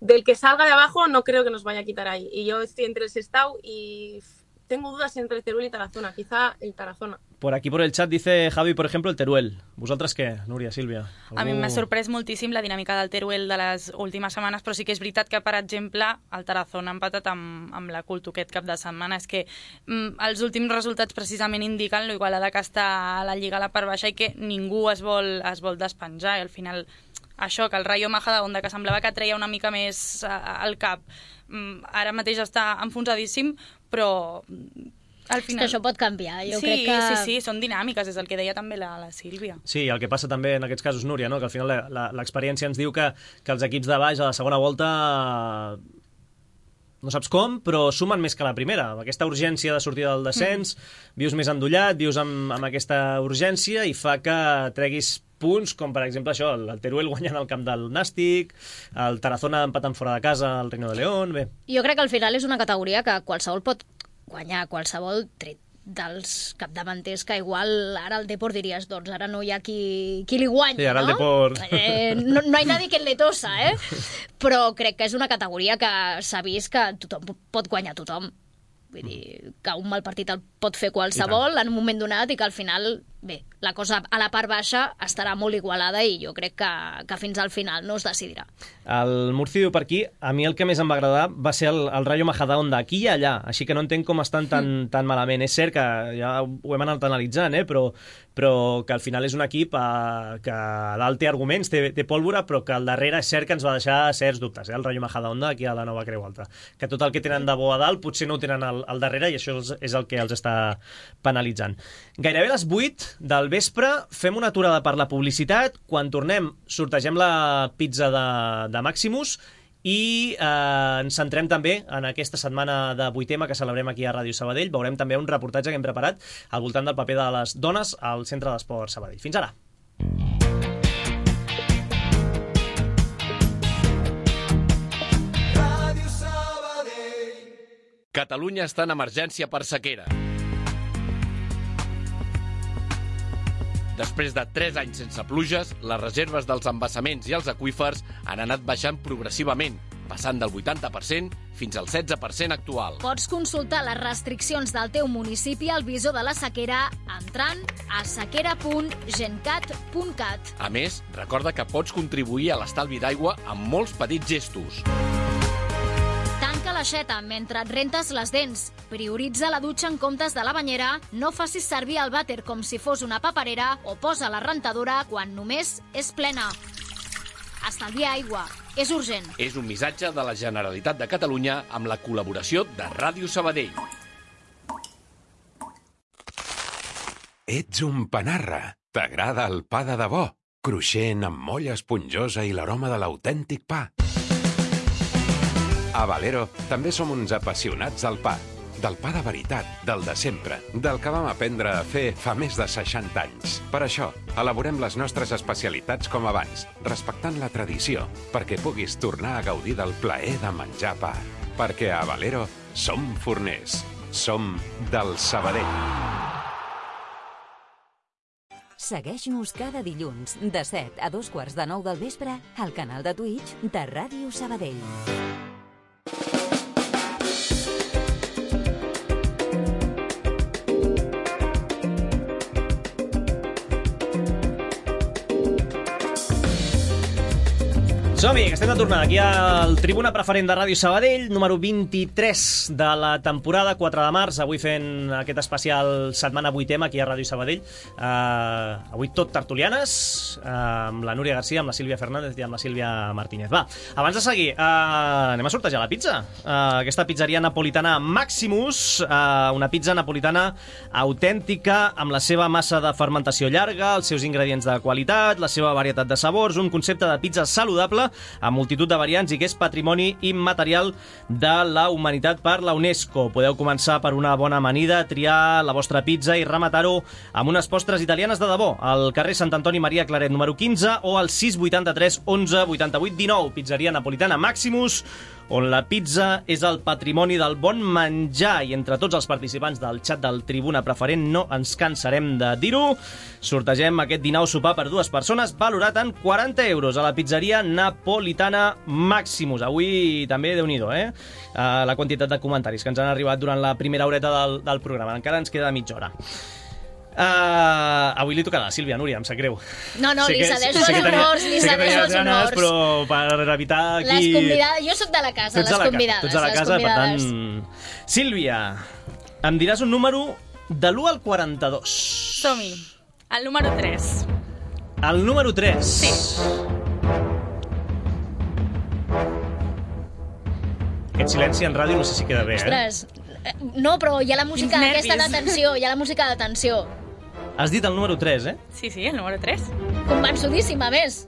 [SPEAKER 4] del que salga de abajo no creo que nos vaya a quitar ahí. Y yo estoy entre el Sestao y tengo dudas entre Teruel y Tarazona, quizá el Tarazona.
[SPEAKER 2] Por aquí, por el chat, dice Javi, por ejemplo, el Teruel. ¿Vosaltres què, Núria, Sílvia? Algú...
[SPEAKER 5] A mi m'ha sorprès moltíssim la dinàmica del Teruel de les últimes setmanes, però sí que és veritat que, per exemple, el Tarazona ha empatat amb, amb la Culto aquest cap de setmana. És que mm, els últims resultats precisament indiquen lo igualada que està a la Lliga a la part baixa i que ningú es vol, es vol despenjar. I al final, això, que el Rayo Majadahonda, que semblava que treia una mica més al cap, mm, ara mateix està enfonsadíssim, però... Al final...
[SPEAKER 3] És que això pot canviar, jo
[SPEAKER 5] sí,
[SPEAKER 3] crec que...
[SPEAKER 5] Sí, sí, són dinàmiques, és el que deia també la, la Sílvia.
[SPEAKER 2] Sí, el que passa també en aquests casos, Núria, no? Que al final l'experiència ens diu que, que els equips de baix a la segona volta no saps com, però sumen més que la primera. Aquesta urgència de sortir del descens, mm. vius més endollat, vius amb, amb aquesta urgència i fa que treguis punts, com per exemple això, el Teruel guanyant al camp del Nàstic, el Tarazona empatant fora de casa al Reino de León, bé.
[SPEAKER 3] Jo crec que al final és una categoria que qualsevol pot guanyar, qualsevol tret dels capdavanters, que igual ara el Depor diries, doncs ara no hi ha qui, qui li guanya,
[SPEAKER 2] sí, ara
[SPEAKER 3] no?
[SPEAKER 2] El Depor...
[SPEAKER 3] Eh, no? No hi ha nadie que le tosa, eh? Però crec que és una categoria que s'ha vist que tothom pot guanyar tothom. Vull dir, que un mal partit el pot fer qualsevol en un moment donat i que al final, bé, la cosa a la part baixa estarà molt igualada i jo crec que, que fins al final no es decidirà.
[SPEAKER 2] El Murci diu per aquí, a mi el que més em va agradar va ser el, el Rayo Majadahonda, aquí i allà, així que no entenc com estan tan, mm. tan malament. És cert que ja ho hem anat analitzant, eh? però, però que al final és un equip eh, que a dalt té arguments, té, té pólvora, però que al darrere és cert que ens va deixar certs dubtes, eh? El Rayo Majadahonda aquí a la Nova Creu Alta. Que tot el que tenen de bo a dalt potser no ho tenen al, al darrere i això és, és el que els està penalitzant. Gairebé a les vuit del vespre fem una aturada per la publicitat. Quan tornem sortegem la pizza de, de Maximus i eh, ens centrem també en aquesta setmana de vuit ema que celebrem aquí a Ràdio Sabadell. Veurem també un reportatge que hem preparat al voltant del paper de les dones al Centre d'Esport Sabadell. Fins ara.
[SPEAKER 8] Catalunya està en emergència per sequera. Després de tres anys sense pluges, les reserves dels embassaments i els aqüífers han anat baixant progressivament, passant del vuitanta per cent fins al setze per cent actual.
[SPEAKER 3] Pots consultar les restriccions del teu municipi al visor de la sequera entrant a sequera punt gencat punt cat.
[SPEAKER 8] A més, recorda que pots contribuir a l'estalvi d'aigua amb molts petits gestos.
[SPEAKER 3] Tanca l'aixeta mentre et rentes les dents. Prioritza la dutxa en comptes de la banyera. No facis servir el vàter com si fos una paperera o posa la rentadora quan només és plena. Estalvia aigua. És urgent.
[SPEAKER 8] És un missatge de la Generalitat de Catalunya amb la col·laboració de Ràdio Sabadell.
[SPEAKER 9] Ets un panarra. T'agrada el pa de debò? Cruixent, amb molla esponjosa i l'aroma de l'autèntic pa. A Valero també som uns apassionats del pa. Del pa de veritat, del de sempre, del que vam aprendre a fer fa més de seixanta anys. Per això, elaborem les nostres especialitats com abans, respectant la tradició, perquè puguis tornar a gaudir del plaer de menjar pa. Perquè a Valero som forners. Som del Sabadell.
[SPEAKER 1] Segueix-nos cada dilluns de set a dos quarts de nou del vespre al canal de Twitch de Ràdio Sabadell.
[SPEAKER 2] Som-hi, que estem de tornada aquí al Tribuna Preferent de Ràdio Sabadell, número vint-i-tres de la temporada, quatre de març, avui fent aquest especial setmana vuit ema aquí a Ràdio Sabadell. Uh, avui tot tertulianes, uh, amb la Núria Garcia, amb la Sílvia Fernández i amb la Sílvia Martínez. Va, abans de seguir, uh, anem a sortejar la pizza. Uh, aquesta pizzeria napolitana Maximus, uh, una pizza napolitana autèntica, amb la seva massa de fermentació llarga, els seus ingredients de qualitat, la seva varietat de sabors, un concepte de pizza saludable amb multitud de variants i que és patrimoni immaterial de la humanitat per la UNESCO. Podeu començar per una bona amanida, triar la vostra pizza i rematar-ho amb unes postres italianes de debò al carrer Sant Antoni Maria Claret número quinze o al sis vuitanta-tres onze vuitanta-vuit dinou. Pizzeria napolitana Maximus, on la pizza és el patrimoni del bon menjar, i entre tots els participants del xat del Tribuna Preferent no ens cansarem de dir-ho. Sortegem aquest dinar sopar per dues persones valorat en quaranta euros a la pizzeria napolitana Maximus. Avui també, Déu-n'hi-do, eh? Uh, la quantitat de comentaris que ens han arribat durant la primera horeta del, del programa. Encara ens queda mitja hora. Uh, avui li tocarà a Sílvia, Núria, em sap greu.
[SPEAKER 3] No, no,
[SPEAKER 2] sé
[SPEAKER 3] li
[SPEAKER 2] que,
[SPEAKER 3] cedeixo
[SPEAKER 2] sé
[SPEAKER 3] els
[SPEAKER 2] que tenia,
[SPEAKER 3] honors, li
[SPEAKER 2] sé que
[SPEAKER 3] cedeixo els
[SPEAKER 2] ganes,
[SPEAKER 3] honors.
[SPEAKER 2] Però per evitar aquí...
[SPEAKER 3] Les convidades, jo sóc de la casa,
[SPEAKER 2] Tots
[SPEAKER 3] les
[SPEAKER 2] a la
[SPEAKER 3] convidades.
[SPEAKER 2] Tots a la
[SPEAKER 3] les
[SPEAKER 2] casa,
[SPEAKER 3] convidades.
[SPEAKER 2] per tant... Sílvia, em diràs un número de l'u al quaranta-dos.
[SPEAKER 5] Som-hi. El número tres.
[SPEAKER 2] El número tres.
[SPEAKER 5] Sí.
[SPEAKER 2] Aquest silenci en ràdio no sé si queda bé, eh?
[SPEAKER 3] Ostres, no, però hi ha la música
[SPEAKER 5] Quins
[SPEAKER 3] aquesta
[SPEAKER 5] nervis.
[SPEAKER 3] de tensió, hi ha la música de tensió.
[SPEAKER 2] Has dit el número tres, eh?
[SPEAKER 5] Sí, sí, el número tres.
[SPEAKER 3] Convençudíssima, a més.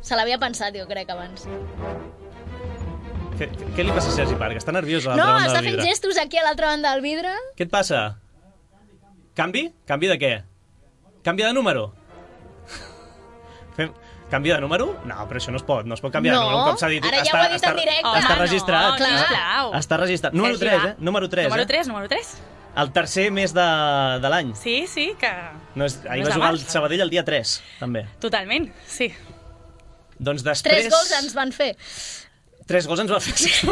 [SPEAKER 3] Se l'havia pensat, jo crec, abans.
[SPEAKER 2] Què, què li passa a Sergi Parc? Està nerviós a l'altra
[SPEAKER 3] No,
[SPEAKER 2] banda
[SPEAKER 3] està
[SPEAKER 2] del
[SPEAKER 3] fent
[SPEAKER 2] vidre.
[SPEAKER 3] gestos aquí a l'altra banda del vidre.
[SPEAKER 2] Què et passa? Canvi? Canvi de què? Canvi de número? Fem... Canvi de número? No, però això no es pot, no es pot canviar
[SPEAKER 3] No,
[SPEAKER 2] de número. Un cop s'ha dit,
[SPEAKER 3] ara ja
[SPEAKER 2] està,
[SPEAKER 3] ho ha dit
[SPEAKER 2] està,
[SPEAKER 3] en directe.
[SPEAKER 2] Està
[SPEAKER 5] Home,
[SPEAKER 2] registrat.
[SPEAKER 5] no,
[SPEAKER 3] clar.
[SPEAKER 5] sisplau.
[SPEAKER 2] Està registrat. Número
[SPEAKER 5] Sergi,
[SPEAKER 2] tres,
[SPEAKER 5] va.
[SPEAKER 2] eh? Número tres,
[SPEAKER 5] Número
[SPEAKER 2] eh?
[SPEAKER 5] tres, número tres.
[SPEAKER 2] El tercer mes de, de l'any.
[SPEAKER 5] Sí, sí, que...
[SPEAKER 2] No és, ahir
[SPEAKER 5] No és
[SPEAKER 2] va jugar
[SPEAKER 5] abans.
[SPEAKER 2] el Sabadell el dia tres, també.
[SPEAKER 5] Totalment, sí.
[SPEAKER 2] Doncs després...
[SPEAKER 3] Tres gols ens van fer.
[SPEAKER 2] Tres gols ens va fer. És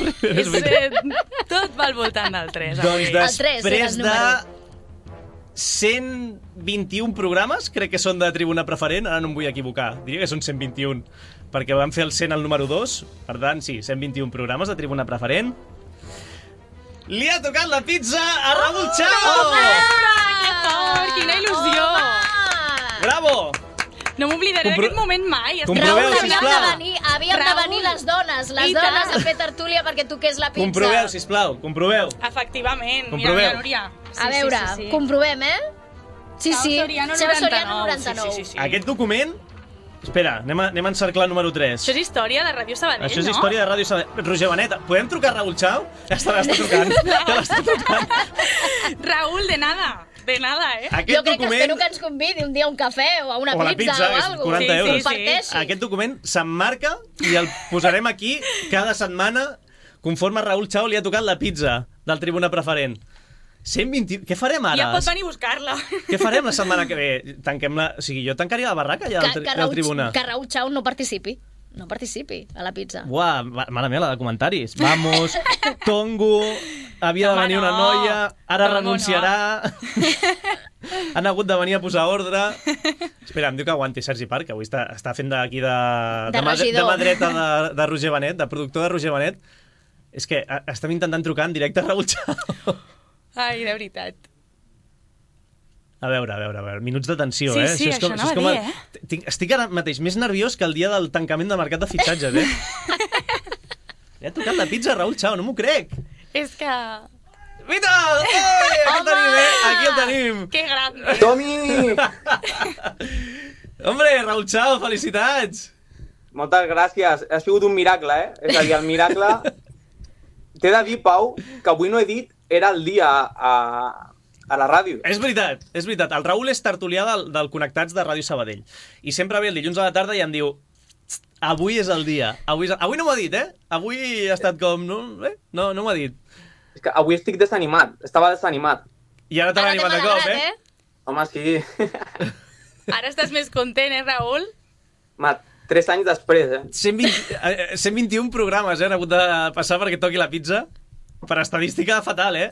[SPEAKER 5] És,
[SPEAKER 2] veritat.
[SPEAKER 5] eh, tot va al voltant del tres, avui.
[SPEAKER 2] Doncs
[SPEAKER 3] El tres era
[SPEAKER 2] després
[SPEAKER 3] el
[SPEAKER 2] de
[SPEAKER 3] número.
[SPEAKER 2] cent vint-i-un programes, crec que són de Tribuna Preferent, ara no em vull equivocar, diria que són cent vint-i-un, perquè vam fer el cent al número dos, per tant, sí, cent vint-i-un programes de Tribuna Preferent. Li ha tocat la pizza a Raúl Chao!
[SPEAKER 5] Que fort, quina il·lusió!
[SPEAKER 2] Bravo!
[SPEAKER 5] No m'oblidaré
[SPEAKER 2] Compro-
[SPEAKER 5] d'aquest moment mai. Estic
[SPEAKER 2] Comproveu,
[SPEAKER 3] Raül,
[SPEAKER 5] molt
[SPEAKER 3] havíem
[SPEAKER 2] sisplau.
[SPEAKER 3] de venir, havíem de
[SPEAKER 5] Raül.
[SPEAKER 3] venir les dones, les
[SPEAKER 5] I
[SPEAKER 3] dones
[SPEAKER 5] tant.
[SPEAKER 3] a fer tertúlia perquè toqués la pizza.
[SPEAKER 2] Comproveu, sisplau, comproveu.
[SPEAKER 5] Efectivament.
[SPEAKER 2] Comproveu.
[SPEAKER 5] Mira, mira, Núria.
[SPEAKER 3] A veure,
[SPEAKER 5] sí, sí, sí.
[SPEAKER 3] comprovem, eh? Sí, sí.
[SPEAKER 5] Soriano
[SPEAKER 3] Seu
[SPEAKER 5] noranta-nou.
[SPEAKER 3] Soriano noranta-nou.
[SPEAKER 5] Sí, sí, sí, sí.
[SPEAKER 2] Aquest document... Espera, anem a, anem a encerclar el número tres.
[SPEAKER 5] Això és història de Ràdio Sabadell,
[SPEAKER 2] Això és
[SPEAKER 5] no?
[SPEAKER 2] història de Ràdio Sabadell. Roger Benet, podem trucar a Raúl Chao? Ja està, l'està trucant. Ja l'està trucant.
[SPEAKER 5] Raúl, de nada. De nada, eh?
[SPEAKER 2] Aquest
[SPEAKER 3] Jo crec que
[SPEAKER 2] document...
[SPEAKER 3] espero que ens convidi un dia a un cafè o a una
[SPEAKER 2] O a la
[SPEAKER 3] pizza,
[SPEAKER 2] pizza,
[SPEAKER 3] o
[SPEAKER 2] és
[SPEAKER 3] alguna
[SPEAKER 2] quaranta euros.
[SPEAKER 5] Sí, sí, sí.
[SPEAKER 3] Parteixi.
[SPEAKER 2] Aquest document s'emmarca i el posarem aquí cada setmana conforme a Raúl Chao li ha tocat la pizza del Tribuna Preferent. cent vint... Què farem ara?
[SPEAKER 5] Ja pot venir a buscar-la.
[SPEAKER 2] Què farem la setmana que ve? Tanquem la... O sigui, jo tancaria la barraca ja del,
[SPEAKER 3] Que,
[SPEAKER 2] tri...
[SPEAKER 3] que,
[SPEAKER 2] del
[SPEAKER 3] Raúl,
[SPEAKER 2] Tribuna.
[SPEAKER 3] que Raúl Chao no participi. No participi a la pizza.
[SPEAKER 2] Uah, ma- mare meva, la de comentaris. Vamos, Tongo, havia de
[SPEAKER 5] Home,
[SPEAKER 2] venir una
[SPEAKER 5] no.
[SPEAKER 2] noia, ara
[SPEAKER 5] Tongo,
[SPEAKER 2] renunciarà... Han hagut de venir a posar ordre... Espera, em diu que aguanti Sergi Parc, que avui està, està fent d'aquí de...
[SPEAKER 3] De
[SPEAKER 2] mà, de
[SPEAKER 3] regidor.
[SPEAKER 2] mà dreta de, de Roger Benet, de productor de Roger Benet. És que a- estem intentant trucar en directe a Raúl Chao.
[SPEAKER 5] Ai, de veritat.
[SPEAKER 2] A veure, a veure, a veure, minuts de tensió,
[SPEAKER 5] Sí,
[SPEAKER 2] eh?
[SPEAKER 5] sí,
[SPEAKER 2] és com,
[SPEAKER 5] això
[SPEAKER 2] és
[SPEAKER 5] anava
[SPEAKER 2] com
[SPEAKER 5] a
[SPEAKER 2] el-
[SPEAKER 5] dir, eh?
[SPEAKER 2] Tinc, estic ara mateix més nerviós que el dia del tancament del mercat de fitxatges, eh? Li ha tocat la pizza a Raúl Chao, no m'ho crec.
[SPEAKER 5] És que...
[SPEAKER 2] Vita! Oi, aquí el tenim, eh? Aquí el tenim.
[SPEAKER 5] Que grande.
[SPEAKER 10] Tomi!
[SPEAKER 2] Hombre, Raúl Chao, felicitats!
[SPEAKER 10] Moltes gràcies. Ha sigut un miracle, eh? És a dir, el miracle... T'he de dir, Pau, que avui no he dit era el dia a, a la ràdio.
[SPEAKER 2] És veritat, és veritat. El Raúl és tertulià del, del Connectats de Ràdio Sabadell. I sempre ve el dilluns a la tarda i em diu avui és el dia. Avui, és... avui no m'ho ha dit, eh? Avui ha estat com... No, eh? no, no m'ho ha dit.
[SPEAKER 10] És que avui estic desanimat. Estava desanimat.
[SPEAKER 2] I ara t'ha
[SPEAKER 3] Ara
[SPEAKER 2] animat
[SPEAKER 3] t'hem
[SPEAKER 2] de cop,
[SPEAKER 3] alegrat,
[SPEAKER 2] eh?
[SPEAKER 3] eh?
[SPEAKER 10] Home, sí.
[SPEAKER 5] Ara estàs més content, eh, Raül?
[SPEAKER 10] Ma, tres anys després, eh?
[SPEAKER 2] cent vint, eh, cent vint-i-un programes eh, han hagut de passar perquè toqui la pizza. Per estadística fatal, eh?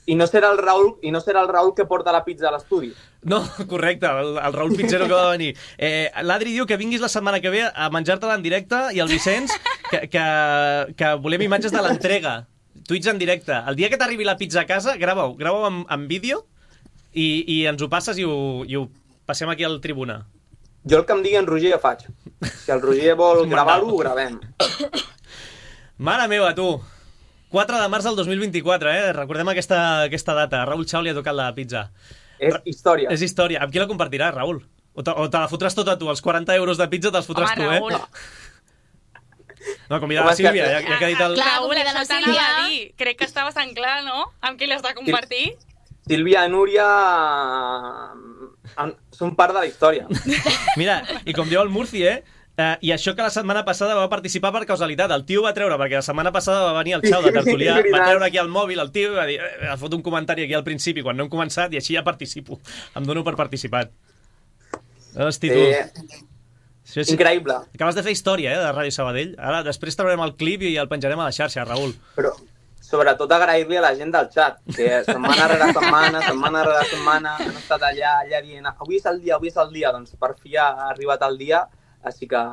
[SPEAKER 10] I no serà el Raül, i no serà el Raül que porta la pizza a l'estudi.
[SPEAKER 2] No, correcte, el, el Raúl Pizzero que va venir. Eh, L'Adri diu que vinguis la setmana que ve a menjar-te-la en directe i el Vicenç que, que, que volem imatges de l'entrega. Tuits en directe. El dia que t'arribi la pizza a casa, grava-ho, grava-ho en, en vídeo i, i ens ho passes i ho, i ho passem aquí al Tribuna.
[SPEAKER 10] Jo el que em digui en Roger ja faig. Si el Roger vol gravar-ho, ho gravem.
[SPEAKER 2] Mare meva, tu! quatre de març del dos mil vint-i-quatre, eh? Recordem aquesta, aquesta data. A Raúl Chao li ha tocat la pizza.
[SPEAKER 10] És història.
[SPEAKER 2] És història. Amb qui la compartiràs, Raúl? O te, o te la fotràs tota tu? Els quaranta euros de pizza te'ls fotràs
[SPEAKER 5] Home,
[SPEAKER 2] tu,
[SPEAKER 5] Raül.
[SPEAKER 2] eh? No, convida la
[SPEAKER 10] Home, és que-
[SPEAKER 2] Sílvia, ja, ja que ha dit el...
[SPEAKER 3] Clar,
[SPEAKER 5] Raül,
[SPEAKER 3] convida
[SPEAKER 5] això
[SPEAKER 3] la
[SPEAKER 5] t'anava
[SPEAKER 3] Sílvia.
[SPEAKER 5] a dir. Crec que està bastant clar, no? Amb qui l'has de compartir?
[SPEAKER 10] Sílvia i Núria en- són part de la història.
[SPEAKER 2] Mira, i com diu el Murci, eh? Uh, I això que la setmana passada va participar per causalitat. El tio va treure, perquè la setmana passada va venir el Xau de Tertulià, va treure aquí al mòbil el tio i va dir, eh, ha fot un comentari aquí al principi quan no hem començat i així ja participo. Em dono per participat. Hosti, tu.
[SPEAKER 10] Eh,
[SPEAKER 2] Sí, sí.
[SPEAKER 10] Increïble.
[SPEAKER 2] Acabes de fer història, eh, de Ràdio Sabadell. Ara, després traurem el clip i el penjarem a la xarxa, Raül.
[SPEAKER 10] Però, sobretot, agrair-li a la gent del xat, que setmana rere setmana, setmana rere setmana, han estat allà, allà dient, avui és el dia, avui és el dia. Doncs per fi ha arribat el dia, així que,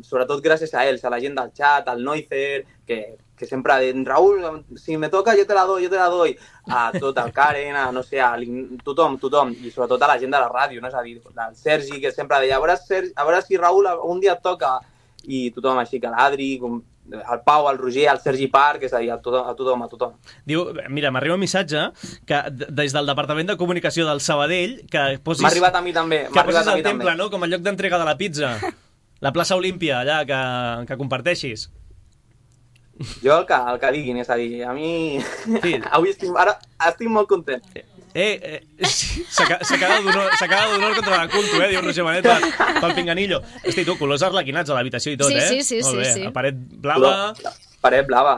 [SPEAKER 10] sobretot, gràcies a ells, a la gent del xat, al Noizer, que, que sempre ha dit, Raül, si me toca, jo te la doy, jo te la doy. A tot, al Karen, a, no sé, a tothom, tothom, i sobretot a la gent de la ràdio, no? És a dir, el Sergi, que sempre deia, a veure, Sergi, a veure si Raül un dia et toca, i tothom així, que l'Adri, el Pau, el Roger, el Sergi Parc, és a dir, a tothom, a tothom, a tothom.
[SPEAKER 2] Diu, mira, m'arriba un missatge que des del Departament de Comunicació del Sabadell que posis...
[SPEAKER 10] M'ha arribat a mi també,
[SPEAKER 2] m'ha arribat a mi també. Que posis el temple, no?, com a lloc d'entrega de la pizza. La plaça Olímpia, allà, que, que comparteixis.
[SPEAKER 10] Jo el que, el que diguin, és a dir, a mi... Sí. Avui estic, ara estic molt content.
[SPEAKER 2] Eh, eh, s'acaba d'honor contra la culto, eh, diu Roger Benet pel, pel pinganillo. Hosti, tu, colors arlequinats a l'habitació i tot,
[SPEAKER 3] sí,
[SPEAKER 2] eh?
[SPEAKER 3] Sí, sí,
[SPEAKER 2] molt
[SPEAKER 3] sí,
[SPEAKER 2] bé.
[SPEAKER 3] sí.
[SPEAKER 2] La paret blava...
[SPEAKER 10] La paret blava.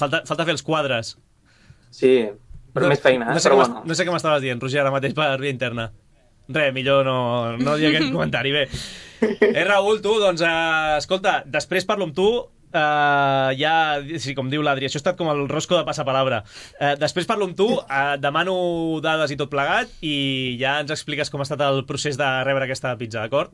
[SPEAKER 2] Falta, falta fer els quadres.
[SPEAKER 10] Sí, però no, més feina, eh?
[SPEAKER 2] No sé,
[SPEAKER 10] però
[SPEAKER 2] bueno. No sé què m'estaves dient, Roger, ara mateix per via interna. Res, millor no, no dir aquest comentari, bé. Eh, Raül, tu, doncs, eh, escolta, després parlo amb tu, Uh, ja, sí, com diu l'Adri, això ha estat com el rosco de passapalabra. Uh, després parlo amb tu, uh, demano dades i tot plegat i ja ens expliques com ha estat el procés de rebre aquesta pizza, d'acord?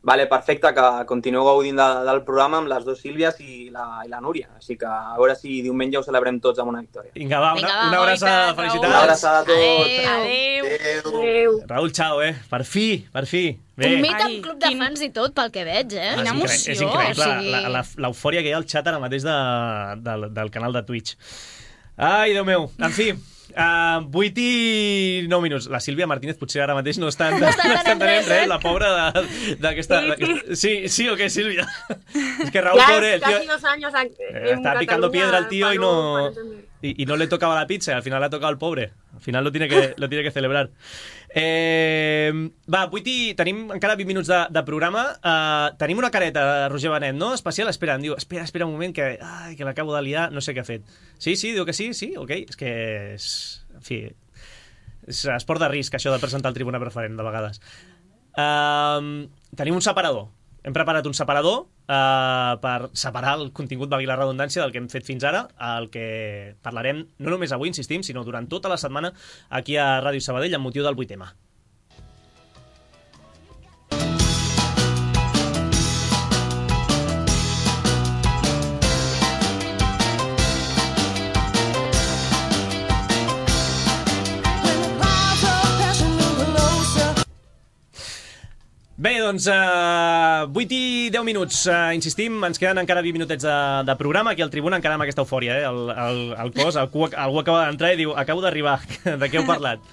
[SPEAKER 10] Vale, perfecte, que continueu gaudint de, del programa amb les dues Sílvies i la, i la Núria. Així que a veure si diumenge ho celebrem tots amb una victòria.
[SPEAKER 2] Vinga, va, una, una abraçada, felicitats.
[SPEAKER 10] Una abraçada a tots.
[SPEAKER 3] Adéu.
[SPEAKER 10] Adéu.
[SPEAKER 3] Adéu.
[SPEAKER 2] Raül, xau, eh? Per fi, per fi. Bé.
[SPEAKER 3] Un mit amb club de fans i tot, pel que veig, eh?
[SPEAKER 2] Ah,
[SPEAKER 3] Quina
[SPEAKER 2] emoció. És increïble l'eufòria que hi ha al xat ara mateix de, de, del canal de Twitch. Ai, Déu meu. En fi, uh, vuit i nou minuts. La Sílvia Martínez potser ara mateix no està, no està entenent res, la pobra d'aquesta... Sí, sí o què, Sílvia? És que Raúl, pobre, el tío...
[SPEAKER 4] Casi dos años en
[SPEAKER 2] Está picando piedra el tío y no... Y, y no le tocaba la pizza, al final le ha tocado al pobre. Al final lo tiene que, lo tiene que celebrar. Eh, va, vuit i... Tenim encara vint minuts de, de programa. Uh, tenim una careta, Roger Benet, no? Especial, espera, em diu, espera, espera un moment, que, ai, que l'acabo de liar, no sé què ha fet. Sí, sí, diu que sí, sí, ok. És que és... En fi... És esport de risc, això de presentar el tribuna preferent, de vegades. Uh, tenim un separador. Hem preparat un separador uh, per separar el contingut, valgui la redundància, del que hem fet fins ara, el que parlarem no només avui, insistim, sinó durant tota la setmana aquí a Ràdio Sabadell amb motiu del vuit ema. Bé, doncs, uh, vuit i deu minuts, uh, insistim, ens queden encara vint minutets de, de programa, aquí al Tribuna, encara amb aquesta eufòria, eh? el, el, el cos, algú, algú acaba d'entrar i diu, acabo d'arribar, de què heu parlat?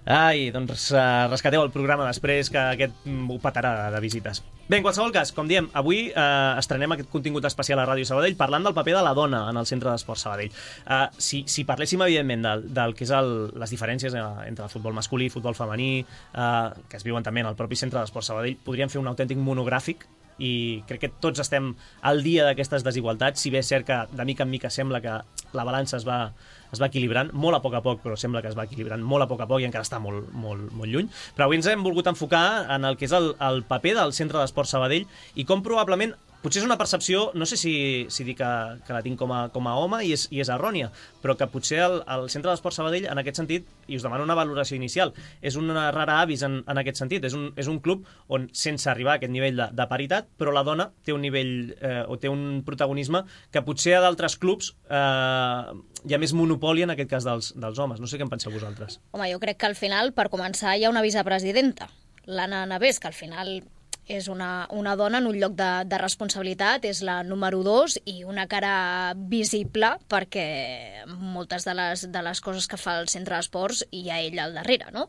[SPEAKER 2] Ai, doncs uh, rescateu el programa després, que aquest ho petarà de visites. Bé, en qualsevol cas, com diem, avui uh, estrenem aquest contingut especial a Ràdio Sabadell parlant del paper de la dona en el Centre d'Esports Sabadell. Uh, si, si parléssim, evidentment, del, del que és el, les diferències entre el futbol masculí i futbol femení, uh, que es viuen també en el propi Centre d'Esports Sabadell, podríem fer un autèntic monogràfic i crec que tots estem al dia d'aquestes desigualtats, si bé és cert que de mica en mica sembla que la balança es va, es va equilibrant, molt a poc a poc, però sembla que es va equilibrant molt a poc a poc i encara està molt, molt, molt lluny. Però avui ens hem volgut enfocar en el que és el, el paper del Centre d'Esports Sabadell i com probablement, potser és una percepció, no sé si, si dic que, que la tinc com a, com a home i és, i és errònia, però que potser el, el Centre d'Esports Sabadell, en aquest sentit, i us demano una valoració inicial, és una rara avis en, en aquest sentit, és un, és un club on, sense arribar a aquest nivell de, de paritat, però la dona té un nivell eh, o té un protagonisme que potser a d'altres clubs eh, hi ha més monopoli en aquest cas dels, dels homes. No sé què en penseu vosaltres.
[SPEAKER 3] Home, jo crec que al final, per començar, hi ha una vicepresidenta, l'Anna Navés, que al final és una, una dona en un lloc de, de responsabilitat, és la número dos i una cara visible perquè moltes de les, de les coses que fa el centre d'esports hi ha ella al darrere, no?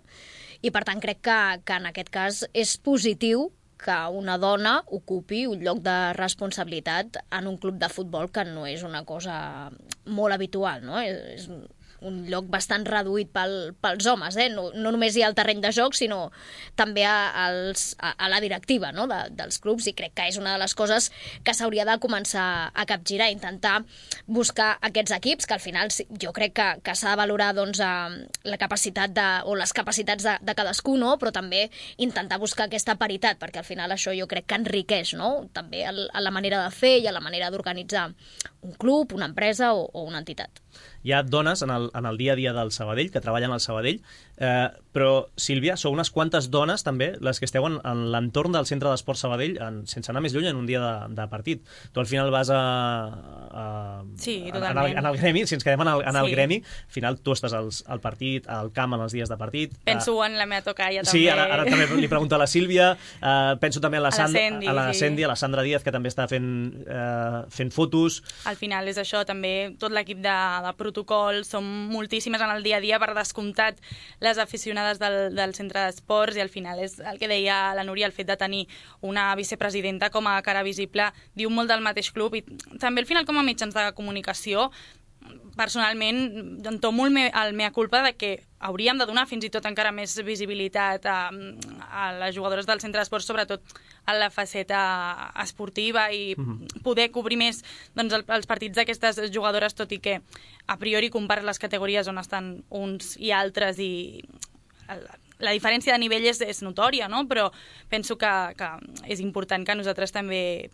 [SPEAKER 3] I per tant crec que, que en aquest cas és positiu que una dona ocupi un lloc de responsabilitat en un club de futbol que no és una cosa molt habitual, no? És, un lloc bastant reduït pel, pels homes, eh? no, no només hi ha el terreny de joc, sinó també a, als, a, a la directiva, no? de, dels clubs, i crec que és una de les coses que s'hauria de començar a capgirar, intentar buscar aquests equips, que al final jo crec que, que s'ha de valorar doncs, la capacitat de, o les capacitats de, de cadascú, no? Però també intentar buscar aquesta paritat, perquè al final això jo crec que enriqueix, no? També a la manera de fer i a la manera d'organitzar un club, una empresa o, o una entitat.
[SPEAKER 2] Hi ha dones en el, en el dia a dia del Sabadell, que treballen al Sabadell, eh, però, Sílvia, sou unes quantes dones, també, les que esteu en, en l'entorn del Centre d'Esport Sabadell, en, sense anar més lluny, en un dia de, de partit. Tu al final vas a... a
[SPEAKER 5] sí,
[SPEAKER 2] en, en, el, en el gremi, si ens quedem en el, en el sí. gremi, al final tu estàs als, al partit, al camp en els dies de partit.
[SPEAKER 5] Penso uh, en la meva tocalla, també.
[SPEAKER 2] Sí, ara, ara també li pregunto a la Sílvia, uh, penso també a la, Sand,
[SPEAKER 5] a la Sandy,
[SPEAKER 2] a la,
[SPEAKER 5] sí.
[SPEAKER 2] Sandy, a la Sandra Díaz, que també està fent, uh, fent fotos.
[SPEAKER 5] Al final és això, també tot l'equip de, de protocol, som moltíssimes en el dia a dia, per descomptat les aficionades del, del centre d'esports, i al final és el que deia la Núria, el fet de tenir una vicepresidenta com a cara visible diu molt del mateix club, i també al final com a mitjans de comunicació personalment entomo el, me, el mea culpa de que hauríem de donar fins i tot encara més visibilitat a, a les jugadores del centre d'esports, sobretot a la faceta esportiva, i mm-hmm. poder cobrir més doncs, el, els partits d'aquestes jugadores, tot i que a priori compares les categories on estan uns i altres i el, la diferència de nivell és, és notòria, no? Però penso que, que és important que nosaltres també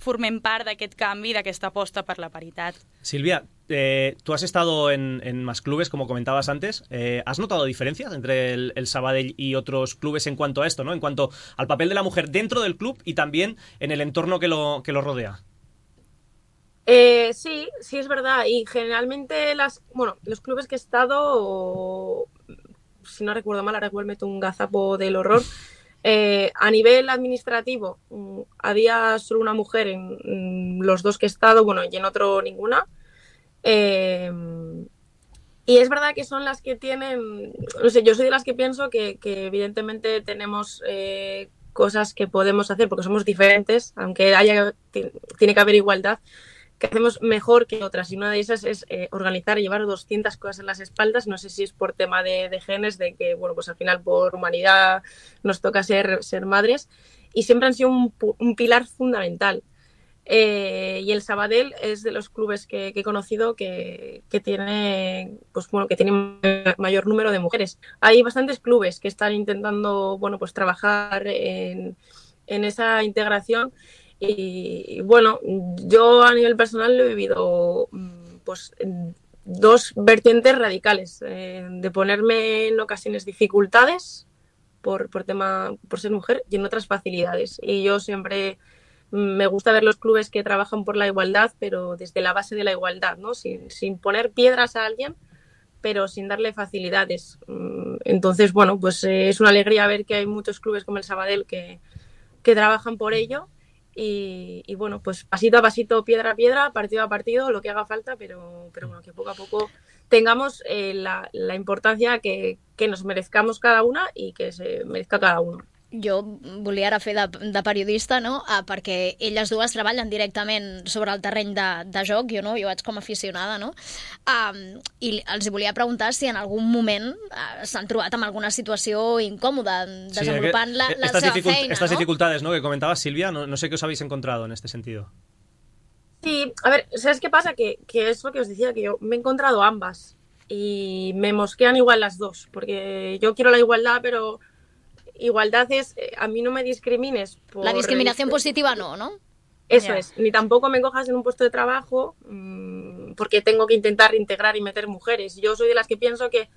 [SPEAKER 5] formem part d'aquest canvi, d'aquesta aposta per la paritat.
[SPEAKER 2] Silvia, eh, tú has estado en, en más clubes, como comentabas antes. Eh, ¿Has notado diferencias entre el, el Sabadell y otros clubes en cuanto a esto, ¿no? En cuanto al papel de la mujer dentro del club y también en el entorno que lo, que lo rodea?
[SPEAKER 4] Eh, sí, sí es verdad. Y generalmente las, bueno, los clubes que he estado, si no recuerdo mal, ahora igual meto un gazapo del horror. Eh, a nivel administrativo, mm, había solo una mujer en, en los dos que he estado, bueno, y en otro ninguna. Eh, y es verdad que son las que tienen, no sé, yo soy de las que pienso que, que evidentemente tenemos eh, cosas que podemos hacer porque somos diferentes, aunque haya, tiene que haber igualdad, que hacemos mejor que otras, y una de esas es eh, organizar y llevar doscientas cosas en las espaldas. No sé si es por tema de, de genes, de que, bueno, pues al final por humanidad nos toca ser, ser madres, y siempre han sido un, un pilar fundamental. Eh, y el Sabadell es de los clubes que, que he conocido que, que tiene, pues bueno, que tiene mayor número de mujeres. Hay bastantes clubes que están intentando, bueno, pues trabajar en, en esa integración. Y bueno, yo a nivel personal lo he vivido pues en dos vertientes radicales, eh, de ponerme en ocasiones dificultades por, por tema por ser mujer, y en otras facilidades. Y yo siempre me gusta ver los clubes que trabajan por la igualdad, pero desde la base de la igualdad, ¿no? Sin, sin poner piedras a alguien, pero sin darle facilidades. Entonces, bueno, pues eh, es una alegría ver que hay muchos clubes como el Sabadell que, que trabajan por ello. Y, y bueno, pues pasito a pasito, piedra a piedra, partido a partido, lo que haga falta, pero, pero bueno, que poco a poco tengamos eh, la, la importancia que, que nos merezcamos cada una y que se merezca cada uno.
[SPEAKER 3] Jo volia ara fer de, de periodista, no? Ah, perquè elles dues treballen directament sobre el terreny de, de joc, jo no, jo vaig com a aficionada, no? Um, I els volia preguntar si en algun moment uh, s'han trobat amb alguna situació incòmoda desenvolupant sí, la, la seva feina,
[SPEAKER 2] estas
[SPEAKER 3] ¿no?
[SPEAKER 2] dificultades, ¿no?, que comentabas, Silvia, no, no sé qué os habéis encontrado en este sentido.
[SPEAKER 4] Sí, a ver, ¿sabes qué pasa? Que, que es lo que os decía, que yo me he encontrado ambas y me mosquean igual las dos, porque yo quiero la igualdad, pero igualdad es, eh, a mí no me discrimines por...
[SPEAKER 3] La discriminación positiva no, ¿no?
[SPEAKER 4] Eso
[SPEAKER 3] yeah.
[SPEAKER 4] es, ni tampoco me cojas en un puesto de trabajo mmm, porque tengo que intentar integrar y meter mujeres. Yo soy de las que pienso que,